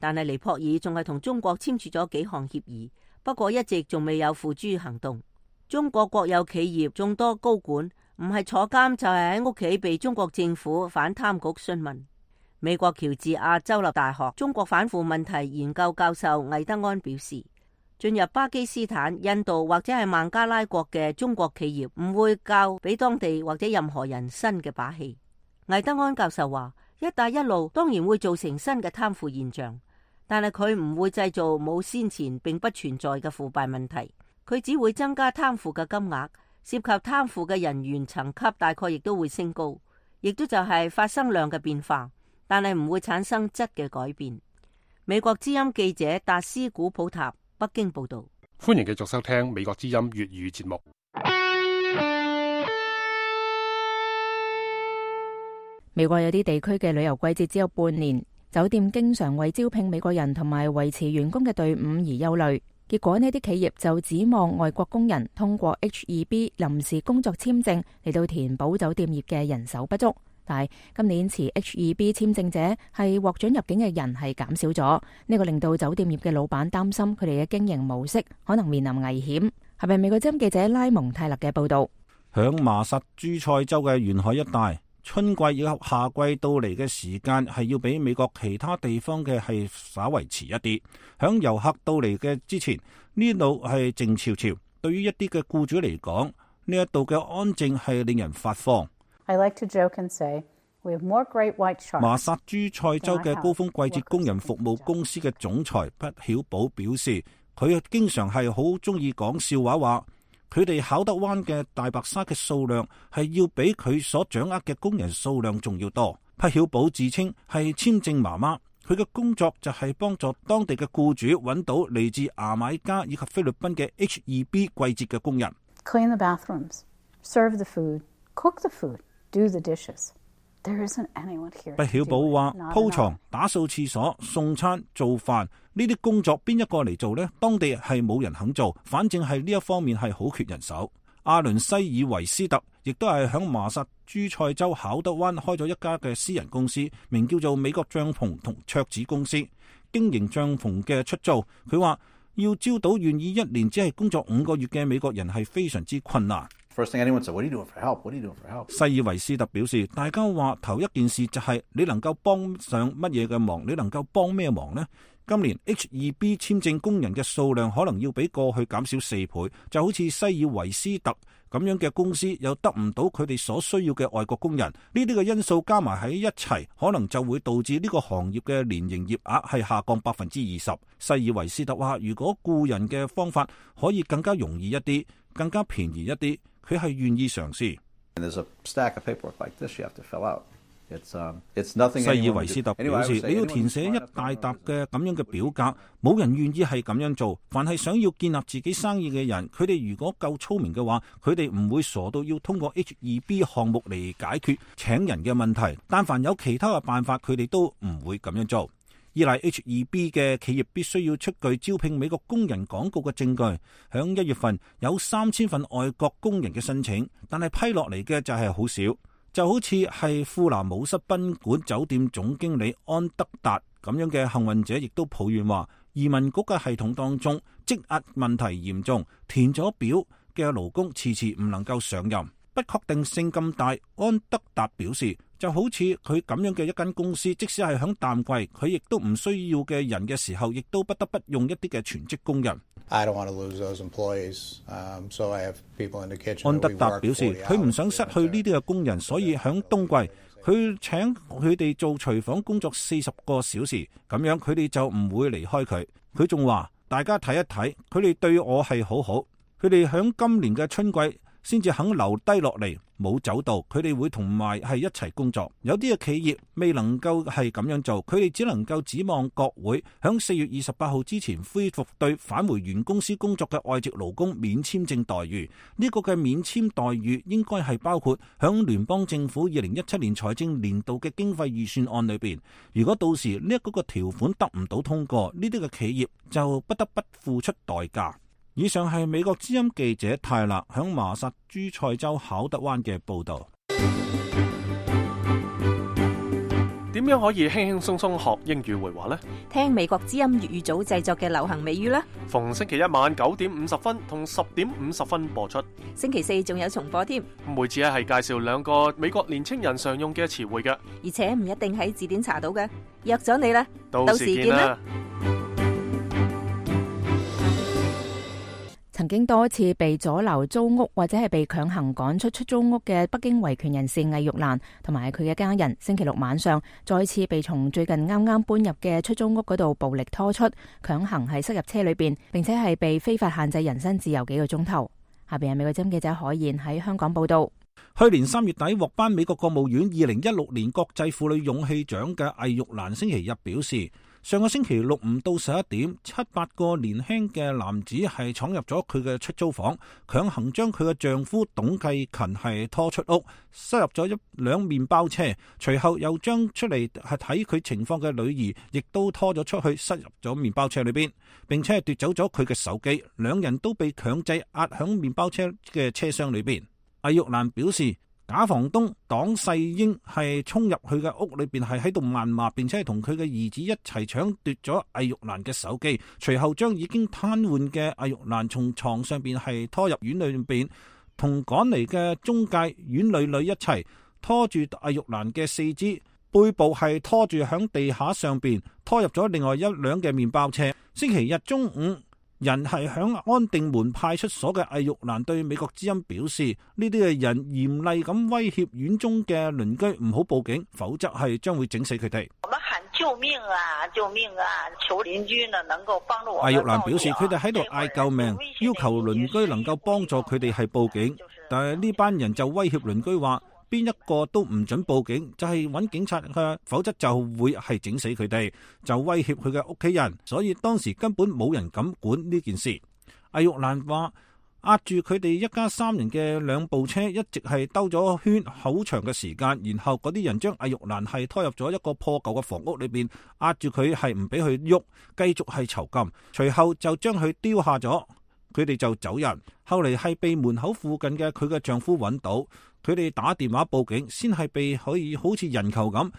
但係尼泊爾仲係同中國簽署咗幾項協議，不過一直仲未有付諸行動。中國國有企業眾多高管唔係坐監就係喺屋企被中國政府反貪局詢問。美國喬治亞州立大學中國反腐問題研究教授魏德安表示，進入巴基斯坦、印度或者係孟加拉國嘅中國企業唔會教俾當地或者任何人新嘅把戲。魏德安教授話，一帶一路當然會造成新嘅貪腐現象，但係佢唔會製造冇先前並不存在嘅腐敗問題。佢只會增加貪腐嘅金額，涉及貪腐嘅人員層級大概亦都會升高，亦都就係發生量嘅變化，但係唔會產生質嘅改變。美國之音記者達斯古普塔北京報道。歡迎繼續收聽美國之音粵語節目。美國有啲地區嘅旅遊季節只有半年，酒店經常為招聘美國人同埋維持員工嘅隊伍而憂慮。結果呢啲企業就指望外國工人通過 H-2B 臨時工作簽證嚟到填補酒店業嘅人手不足。但係今年持 H-2B 簽證者係獲准入境嘅人係減少咗，呢個令到酒店業嘅老闆擔心佢哋嘅經營模式可能面臨危險。係咪美國之音記者拉蒙泰勒嘅報道？響麻薩諸塞州嘅沿海一帶，春季以及夏季到嚟嘅時間係要比美國其他地方嘅係稍為遲一啲。響遊客到嚟嘅之前，呢度係靜悄悄。對於一啲嘅僱主嚟講，呢一度嘅安靜係令人發慌。I like to joke and say we have more great white sharks. 麻薩諸塞州嘅高峰季節工人服務公司嘅總裁畢曉寶表示，佢經常係好中意講笑話，話佢哋考德灣嘅大白鯊嘅數量係要比佢所掌握嘅工人數量仲要多。畢曉寶自稱係簽證媽媽，佢嘅工作就係幫助當地嘅僱主揾到嚟自牙買加以及菲律賓嘅 H-2B 季節嘅工人。Clean the bathrooms, serve the food, cook the food, do the dishes. There isn't anyone here. 畢曉寶話：鋪床、打掃廁所、送餐、做飯呢啲工作邊一個嚟做呢？當地係冇人肯做，反正係呢一方面係好缺人手。阿倫西爾維斯特亦都係響麻薩諸塞州考德灣開咗一家嘅私人公司，名叫做美國帳篷同桌子公司，經營帳篷嘅出租。佢話要招到願意一年只係工作5個月嘅美國人係非常之困難。First thing anyone said, what are you doing for help? What are you doing for help? 西爾維斯特表示，大家話頭一件事就係你能夠幫上乜嘢嘅忙，你能夠幫咩忙呢？今年 H-2B 簽證工人嘅數量可能要比過去減少4倍，就好似西爾維斯特咁樣嘅公司又得唔到佢哋所需要嘅外國工人，呢啲嘅因素加埋喺一齊，可能就會導致呢個行業嘅年營業額係下降20%。西爾維斯特話，如果僱人嘅方法可以更加容易一啲，更加便宜一啲，佢係願意嘗試。西爾維斯特表示，你要填寫一大沓嘅咁樣嘅表格，冇人願意係咁樣做。凡係想要建立自己生意嘅人，佢哋如果夠聰明嘅話，佢哋唔會傻到要通過 H-2B 項目嚟解決請人嘅問題。但凡有其他嘅辦法，佢哋都唔會咁樣做。依賴 H-2B 嘅企業必須要出具招聘美國工人廣告嘅證據。響1月份有3000份外國工人嘅申請，但係批落嚟嘅就係好少。就好似係富拿姆室賓館酒店總經理安德達咁樣嘅幸運者，亦都抱怨話，移民局嘅系統當中積壓問題嚴重，填咗表嘅勞工遲遲唔能夠上任，不確定性咁大。安德達表示，就好似佢咁樣嘅一間公司，即使係響淡季，佢亦都唔需要嘅人嘅時候，亦都不得不用一啲嘅全職工人。安德達表示，佢唔想失去呢啲嘅工人，所以響冬季佢請佢哋做廚房工作40個小時，咁樣佢哋就唔會離開佢。佢仲話，大家睇一睇，佢哋對我係好好。佢哋響今年嘅春季先至肯留低落嚟，冇走到，佢哋會同埋係一齊工作。有啲嘅企業未能夠係咁樣做，佢哋只能夠指望國會響4月28號之前恢復對返回原公司工作嘅外籍勞工免簽證待遇。呢個嘅免簽待遇應該係包括響聯邦政府2017年財政年度嘅經費預算案裏邊。如果到時呢一個條款得唔到通過，呢啲嘅企業就不得不付出代價。以上係美國之音記者泰勒響麻薩諸塞州考德灣嘅報道。點樣可以輕輕鬆鬆學英語會話呢？聽美國之音粵語組製作嘅流行美語啦。逢星期一晚9點50分同10點50分播出。星期四仲有重播添。每次係介紹2個美國年青人常用嘅詞彙嘅，而且唔一定喺字典查到嘅。約咗你啦，到時見啦。曾經多次被阻留租屋或者係被強行趕出出租屋嘅北京維權人士魏玉蘭同埋佢嘅家人，星期六晚上再次被從最近啱啱搬入嘅出租屋嗰度暴力拖出，強行係塞入車裏邊，並且係被非法限制人身自由幾個鐘頭。下邊係美國之音記者海燕喺香港報道。去年3月底獲頒美國國務院2016年國際婦女勇氣獎嘅魏玉蘭星期日表示，上個星期六午到11點，7-8個年輕嘅男子係闖入咗佢嘅出租房，強行將佢嘅丈夫董繼勤係拖出屋，塞入咗一輛麵包車，隨後又將出嚟係睇佢情況嘅女兒亦都拖咗出去，塞入咗麵包車裏邊，並且係奪走咗佢嘅手機，兩人都被強制壓響麵包車嘅車廂裏邊。魏玉蘭表示，假房東黨世英係衝入佢嘅屋裏邊，係喺度謾罵，並且係同佢嘅兒子一齊搶奪咗魏玉蘭嘅手機，隨後將已經癱瘓嘅魏玉蘭從床上邊係拖入院裏邊，同趕嚟嘅中介院女一齊拖住魏玉蘭嘅四肢，背部係拖住響地下上邊，拖入咗另外一輛嘅麵包車。星期日中午，人係響安定門派出所嘅魏玉蘭對美國之音表示，呢啲嘅人嚴厲咁威脅院中嘅鄰居唔好報警，否則係將會整死佢哋。我們喊救命啊！救命啊！求鄰居呢能夠幫助我。魏玉蘭表示，佢哋喺度嗌救命，要求鄰居能夠幫助佢哋係報警，但係呢班人就威脅鄰居話，邊一個都唔准報警，就係揾警察嘅，否則就會係整死佢哋，就威脅佢嘅屋企人，所以當時根本冇人敢管呢件事。魏玉蘭話，壓住佢哋一家3人嘅2部車一直係兜咗圈好長嘅時間，然後嗰啲人將魏玉蘭係拖入咗一個破舊嘅房屋裏邊，壓住佢係唔俾佢喐，繼續係囚禁，隨後就將佢丟下咗，佢哋就走人。後嚟係被門口附近嘅佢嘅丈夫揾到，佢哋打電話報警，先係被可以好似人球咁，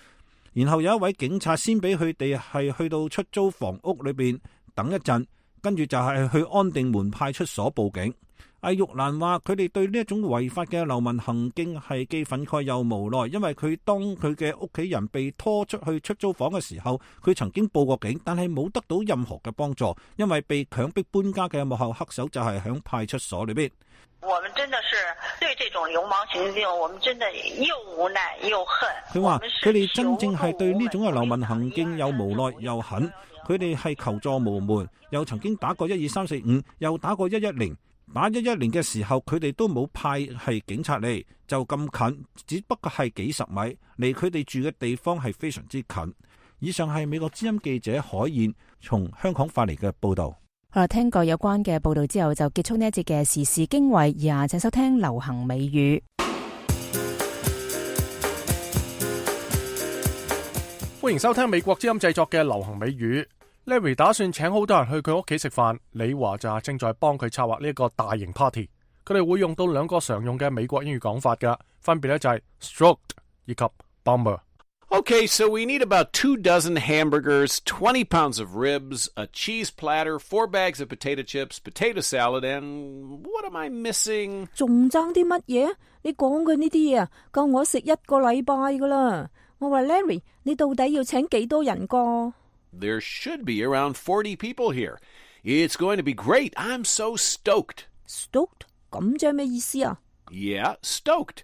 然後有一位警察先俾佢哋係去到出租房屋裏邊等一陣，跟住就係去安定門派出所報警。魏玉蘭話，佢哋對呢一種違法嘅流民行徑係既憤慨又無奈，因為當佢嘅屋企人被拖出去出租房嘅時候，佢曾經報過警，但係冇得到任何嘅幫助，因為被強迫搬家嘅幕後黑手就係響派出所裏邊。我們真的是對這種流氓行徑，我們真的又無奈又恨。佢話佢哋真正係對呢種嘅流民行徑又無奈又恨，佢哋係求助無門，又曾經打過12345，又打過110。打110嘅時候，佢哋都冇派係警察嚟，就咁近，只不過係幾十米，離佢哋住嘅地方係非常之近。以上係美國之音記者海燕從香港發嚟嘅報道。好啦，聽過有關嘅報道之後，就結束呢一節嘅時事經緯，而家請收聽流行美語。歡迎收聽美國之音製作嘅流行美語。Larry 打算請好多人去佢屋企食飯，李華就正在幫佢策劃呢一個大型 party。佢哋會用到2個常用嘅美國英語講法㗎，分別咧就係 stroked 以及 bummer。Okay, so we need about 24 hamburgers, 20 pounds of ribs, a cheese platter, 4 bags of potato chips, potato salad, and what am I missing? 仲爭啲乜嘢？你講嘅呢啲嘢夠我食1個禮拜噶啦。我話 Larry， 你到底要請幾多人個？ There should be around 40 people here. It's going to be great. I'm so stoked. Stoked? 咁即係咩意思啊？ Yeah, stoked.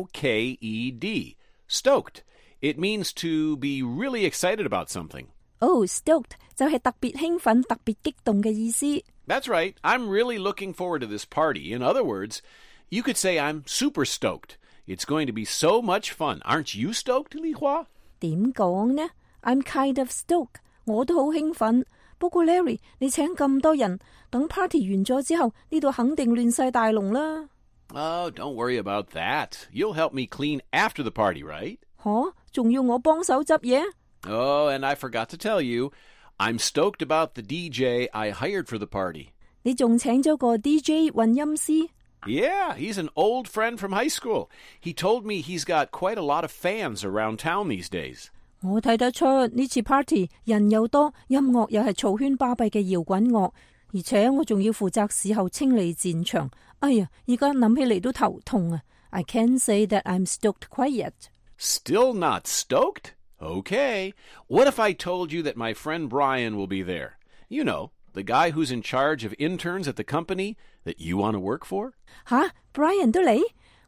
S-T-O-K-E-D. Stoked. It means to be really excited about something. Oh, stoked 就係特別興奮、特別激動嘅意思。That's right. I'm really looking forward to this party. In other words, you could say I'm super stoked. It's going to be so much fun. Aren't you stoked, Li Hua? 點講呢？ I'm kind of stoked. 我都好興奮。不過 Larry， 你請咁多人，等 party 完咗之後，呢度肯定亂晒大龍啦。Oh, don't worry about that. You'll help me clean after the party, right? 吓，仲要我幫手執嘢？ Oh, and I forgot to tell you, I'm stoked about the DJ I hired for the party. 你仲請咗個 DJ 混音師？ Yeah, he's an old friend from high school. He told me he's got quite a lot of fans around town these days. 我睇得出呢次 party 人又多，音樂又係嘈喧巴閉嘅搖滾樂，而且我仲要負責事後清理戰場。哎呀，而家諗起嚟都頭痛啊 ！I can't say that I'm stoked quite yet. Still not stoked? Okay. What if I told you that my friend Brian will be there? You know, the guy who's in charge of interns at the company that you want to work for? 吓 ，Brian 都嚟？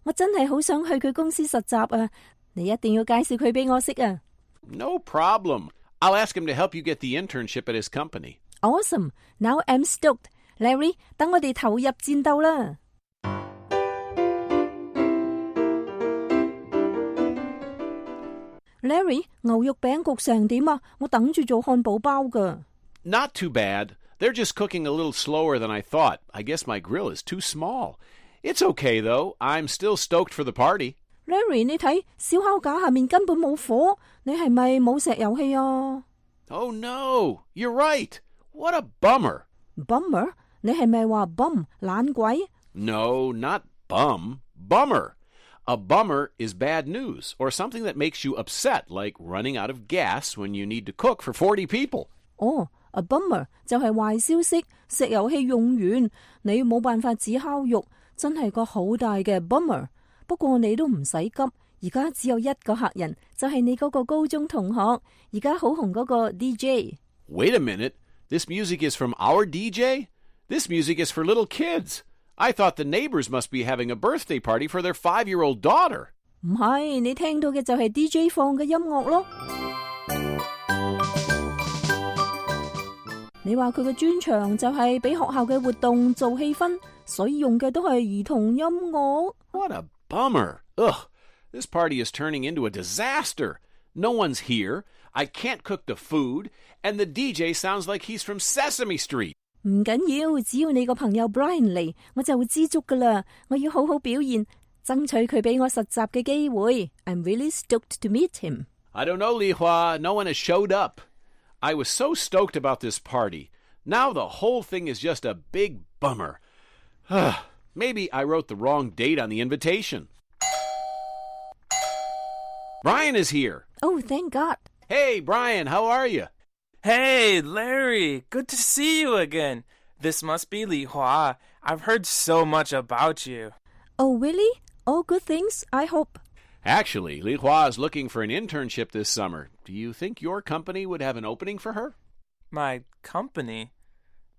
我真係好想去佢公司實習啊！你一定要介紹佢俾我識啊！ No problem. I'll ask him to help you get the internship at his company. Awesome. Now I'm stoked. Larry, 等我哋投入戰鬥啦！ Larry, 牛肉餅焗成點啊？我等住做漢堡包㗎。 Not too bad. They're just cooking a little slower than I thought. I guess my grill is too small. It's okay, though. I'm still stoked for the party. Larry, 你睇燒烤架下面根本冇火，你係咪冇石油氣啊？ Oh no, you're right. What a bummer. Bummer? 你係咪話 bum 懶鬼？ No, not bum. Bummer. A bummer is bad news or something that makes you upset, like running out of gas when you need to cook for 40 people. 哦，a bummer 就係壞消息，石油氣用完，你冇辦法煮烤肉，真係個好大嘅 bummer。不過你都唔使急，而家只有一個客人，就係你嗰個高中同學，而家好紅嗰個 DJ。 Wait a minute. This music is from our DJ? This music is for little kids. I thought the neighbors must be having a birthday party for their 5-year-old daughter. 唔係，你聽到嘅就係 DJ 放嘅音樂咯。你話佢嘅專長就係俾學校嘅活動做氣氛，所以用嘅都係兒童音樂。 What a bummer. Ugh, this party is turning into a disaster. No one's here. I can't cook the food, and the DJ sounds like he's from Sesame Street. 唔緊要，只要你個朋友 Brian 嚟，我就會知足噶啦。我要好好表現，爭取佢俾我實習嘅機會。I'm really stoked to meet him. I don't know, Li Hua. No one has showed up. I was so stoked about this party. Now the whole thing is just a big bummer. Maybe I wrote the wrong date on the invitation. Brian is here. Oh, thank God. Hey, Brian, how are you? Hey, Larry. Good to see you again. This must be Li Hua. I've heard so much about you. Oh, really? All good things, I hope. Actually, Li Hua is looking for an internship this summer. Do you think your company would have an opening for her? My company?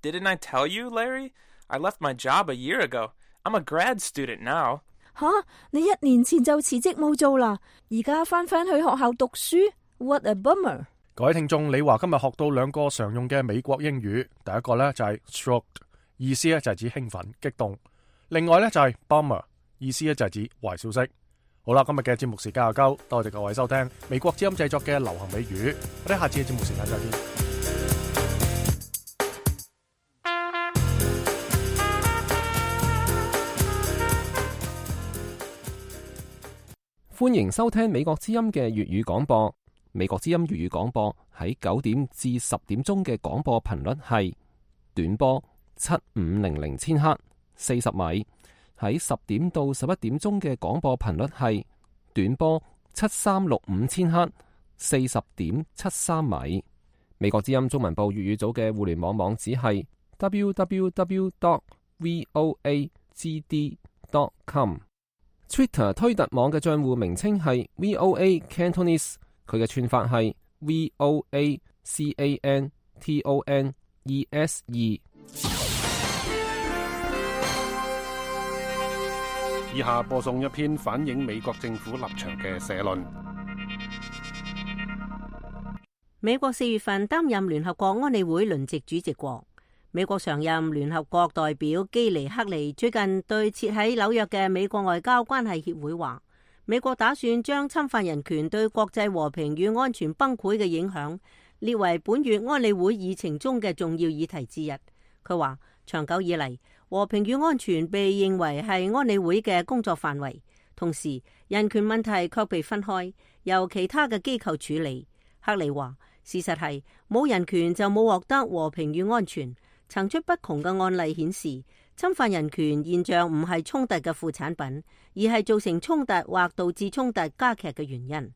Didn't I tell you, Larry? I left my job a year ago. I'm a grad student now. 吓，你1年前就辭職冇做啦，而家返去學校讀書 ？What a bummer！ 各位聽眾，李華今日學到2個常用嘅美國英語，第一個呢就係 stoked， 意思呢就係指興奮、激動；另外呢就係 bummer， 意思呢就係指壞消息。好啦，今日嘅節目時間又夠，多謝各位收聽美國之音製作嘅流行美語，我哋下次嘅節目時間再見。歡迎收聽美國之音嘅粵語廣播。美國之音粵語廣播喺9點至10點鐘嘅廣播頻率係短波7500千赫40米，喺10點到11點鐘嘅廣播頻率係短波7365千赫40.73米。美國之音中文部粵語組嘅互聯網網址係 www.voagd.com。Twitter 推特網嘅賬戶名稱係 VOA Cantonese， 佢嘅串法係 VOACANTONESE。以下播送一篇反映美國政府立場嘅社論。美國4月份擔任聯合國安理會輪值主席國，美國常任聯合國代表基尼克尼最近對設喺紐約嘅美國外交關係協會話，美國打算將侵犯人權對國際和平與安全崩潰嘅影響列為本月安理會議程中嘅重要議題之一。佢話，長久以嚟，和平與安全被認為係安理會嘅工作範圍，同時人權問題卻被分開，由其他嘅機構處理。克尼話，事實係冇人權就冇獲得和平與安全。層出不窮嘅案例顯示，侵犯人權現象唔係衝突嘅副產品，而係造成衝突或導致衝突加劇嘅原因。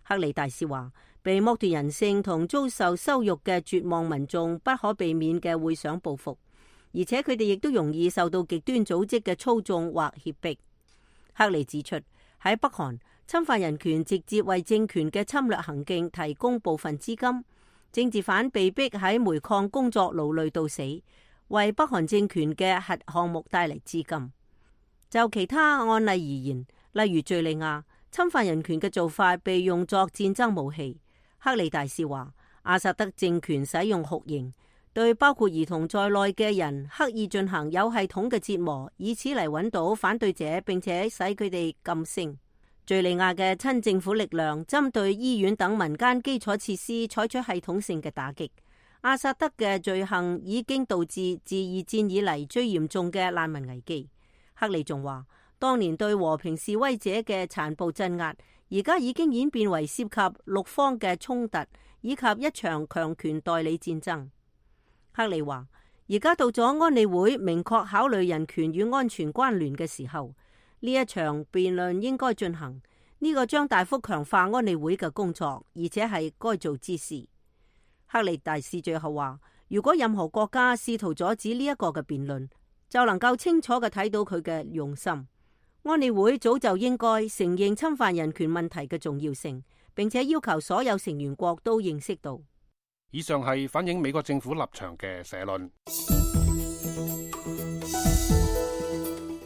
克尼大使話，被剝奪人性同遭受羞辱嘅絕望民眾不可避免嘅會想報復，而且佢哋亦都容易受到極端組織嘅操縱或脅迫。克尼指出，喺北韓，侵犯人權直接為政權嘅侵略行徑提供部分資金。政治犯被逼喺煤礦工作勞累到死，為北韓政權嘅核項目帶嚟資金。就其他案例而言，例如敘利亞，侵犯人權嘅做法被用作戰爭武器。克里大使話，阿薩德政權使用酷刑，對包括兒童在內嘅人刻意進行有系統嘅折磨，以此嚟揾到反對者，並且使佢哋噤聲。敘利亞嘅親政府力量針對醫院等民間基礎設施採取系統性嘅打擊。阿薩德嘅罪行已經導致自二戰以嚟最嚴重嘅難民危機。克里仲話，當年對和平示威者嘅殘暴鎮壓，而家已經演變為涉及陸方嘅衝突，以及一場強權代理戰爭。克里話，而家到咗安理會明確考慮人權與安全關聯嘅時候。呢一場辯論應該進行，呢個將大幅強化安理會嘅工作，而且係該做之事。克里大使最後話，如果任何國家試圖阻止呢一個嘅辯論，就能夠清楚嘅睇到佢嘅用心。安理會早就應該承認侵犯人權問題嘅重要性，並且要求所有成員國都認識到。以上係反映美國政府立場嘅社論。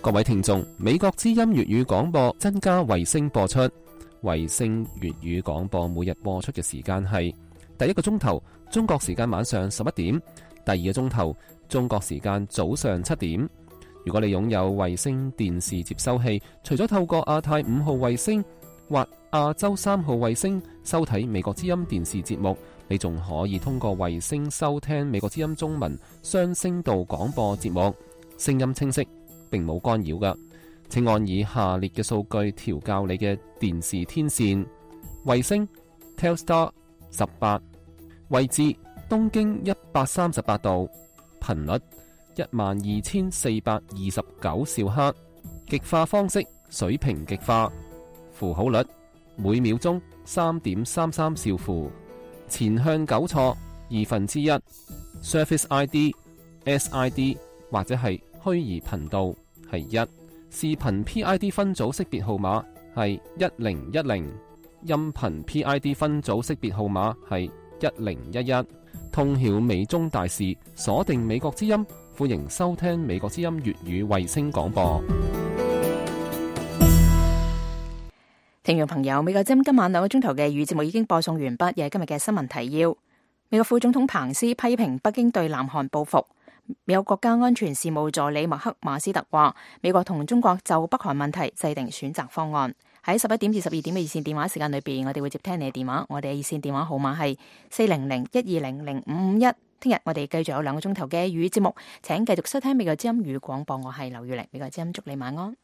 各位聽眾，美國之音粵語廣播增加衛星播出。衛星粵語廣播每日播出嘅時間係第一個鐘頭中國時間晚上11點，第二個鐘頭中國時間早上7點。如果你擁有衛星電視接收器，除咗透過亞太5號衛星或亞洲3號衛星收睇美國之音電視節目，你仲可以通過衛星收聽美國之音中文雙聲道廣播節目，聲音清晰，並冇干擾㗎。請按以下列嘅數據調校你嘅電視天線：衛星 Telstar 18，位置東經138度，頻率12429兆赫，極化方式水平極化，符號率每秒鐘3.33兆符，前向糾錯1/2， Surface ID SID 或者係虛擬頻道係1，視頻 PID 分組識別號碼係1010，音頻 PID 分組識別號碼係1011。通曉美中大事，鎖定美國之音，歡迎收聽美國之音粵語衛星廣播。聽眾朋友，美國之音今晚2個鐘頭嘅語節目已經播送完畢，又係今日嘅新聞提要。美國副總統彭斯批評北京對南韓報復。美國國家安全事務助理麥克馬斯特話，美國同中國就北韓問題制定選擇方案。喺11點至12點嘅熱線電話時間裏邊，我哋會接聽你嘅電話。我哋嘅熱線電話號碼係400-120-0551。聽日我哋繼續有2個鐘頭嘅語節目，請繼續收聽美國之音語廣播。我係劉月玲，美國之音祝你晚安。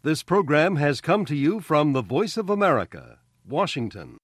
This program has come to you from the Voice of America, Washington.